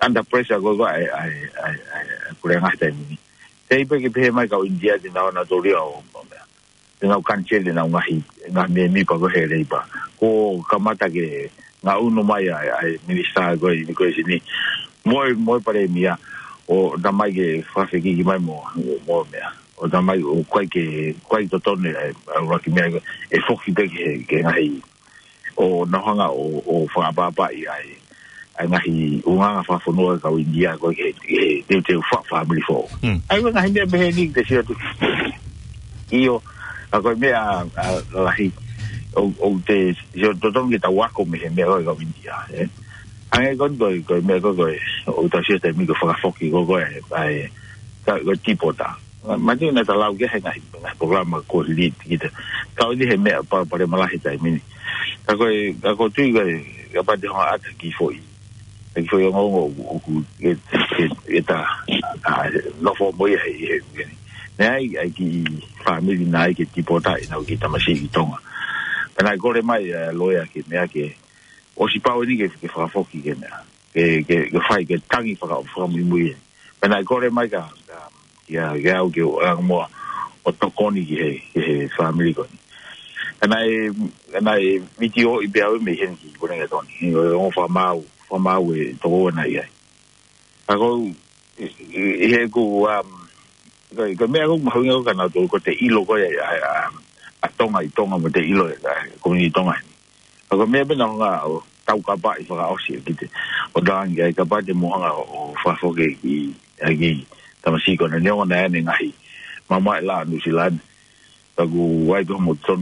under pressure ko ē ʻa e, ʻa e, ʻa e, ʻa e, ʻa e puleʻanga taimi ni. Teʻeki pē ke pehē mai kau ʻInitia te nau ō ʻo tōlia ʻo, ʻo meʻa. Te nau cancel ʻenau ngaahi, ngaahi mēmipa ko ē he Leipa. Kuo kamata ke ngaʻunu mai ʻa e, ʻa e minisitā ko ē ʻo e immigration ni. Mo e, mo e palēmia, ʻo talamai ke fakafekiki mai mo, mo e meʻa. ʻO talamai ʻoku ʻikai ke, ʻikai totonu e, ʻa e ʻuluaki meʻa ko ē, ʻe foki pē ki he, ki he ngaahi ʻo nau hanga ʻo, ʻo fakaʻapaʻapaʻi ʻa e, ʻa e ngaahi ʻulungaanga fakafonua ʻa e kau ʻInitia ko ē ke, ke teuteu faka-, fāmili foʻou. Mm. ʻA ia ko e ngaahi meʻa pehē ni te sio atu. ʻIo, ʻa ko e meʻa, ʻa, lahi, ʻo, ʻo te sio totonu ke tau ako mei he meʻa ko ē ʻa e kau ʻInitia, ē. Hangē ko eni ko e, ko e meʻa ko ē, ko e, ʻoku tau sio taimi ko ē fakafoki ko ē, ko e, ʻa e, ka, ko e tipota. Ma, ma te na ta lau ke he ngaahi, ngaahi polokalama ko e lead kita. Ka ʻoku ʻi ai he meʻa pa, palopalema lahi he taimi ni. Ka ko e, ka ko e tui ko ē, kapau te hanga ʻo ʻata ha kiʻi foʻi, ha kiʻi foʻi ongoongo ʻoku, ʻoku, ʻe, ʻe, ʻe ta, ʻa, nofo mo ia he, he, he. Naʻe ʻi ai, ʻi ai e kiʻi fāmili naʻe ʻai ke tipota ʻenau kiʻi tamasiʻi ki Tonga. Pea naʻe kole mai, ʻa e loea ke meʻa ke, ʻosi pau eni ke, ke fakafoki ke meʻa. Ke, ke, ke fai, ke tangi faka-, fakamuimui ē. Pea naʻe kole mai kia, kia, kia au ke u ʻalu mo ia ʻo tokoni ki he, ki he fāmili ko eni. Pea naʻe, naʻe vitiō ʻi pē au mei heni ki Wellington. ʻI he ongo fakamaau, fakamaau ʻe toko ua naʻe ʻi ai. Ka ko, ʻi, ʻi, ʻi heʻeku, um, ko, ko e meʻa ʻoku mahuʻinga ko ē kia nautolu ko e ʻilo ko ē ʻa, ʻa, ʻa Tonga ʻi Tonga mo e ʻilo ʻa e komiunitī Tonga heni. Ka ko e meʻa pē naʻa nau hanga ʻo taukapaʻi fakaʻosi ʻe kita. ʻO tangi ai kapau te mou hanga ʻo, ʻo fakafoki e kiʻi, e kiʻi tamasiʻi ko ena neongo naʻe ʻi ai ʻene ngaahi mamae ʻi Nuʻu Sila ni. Ka ʻoku ʻi ai pē hoʻomou totonu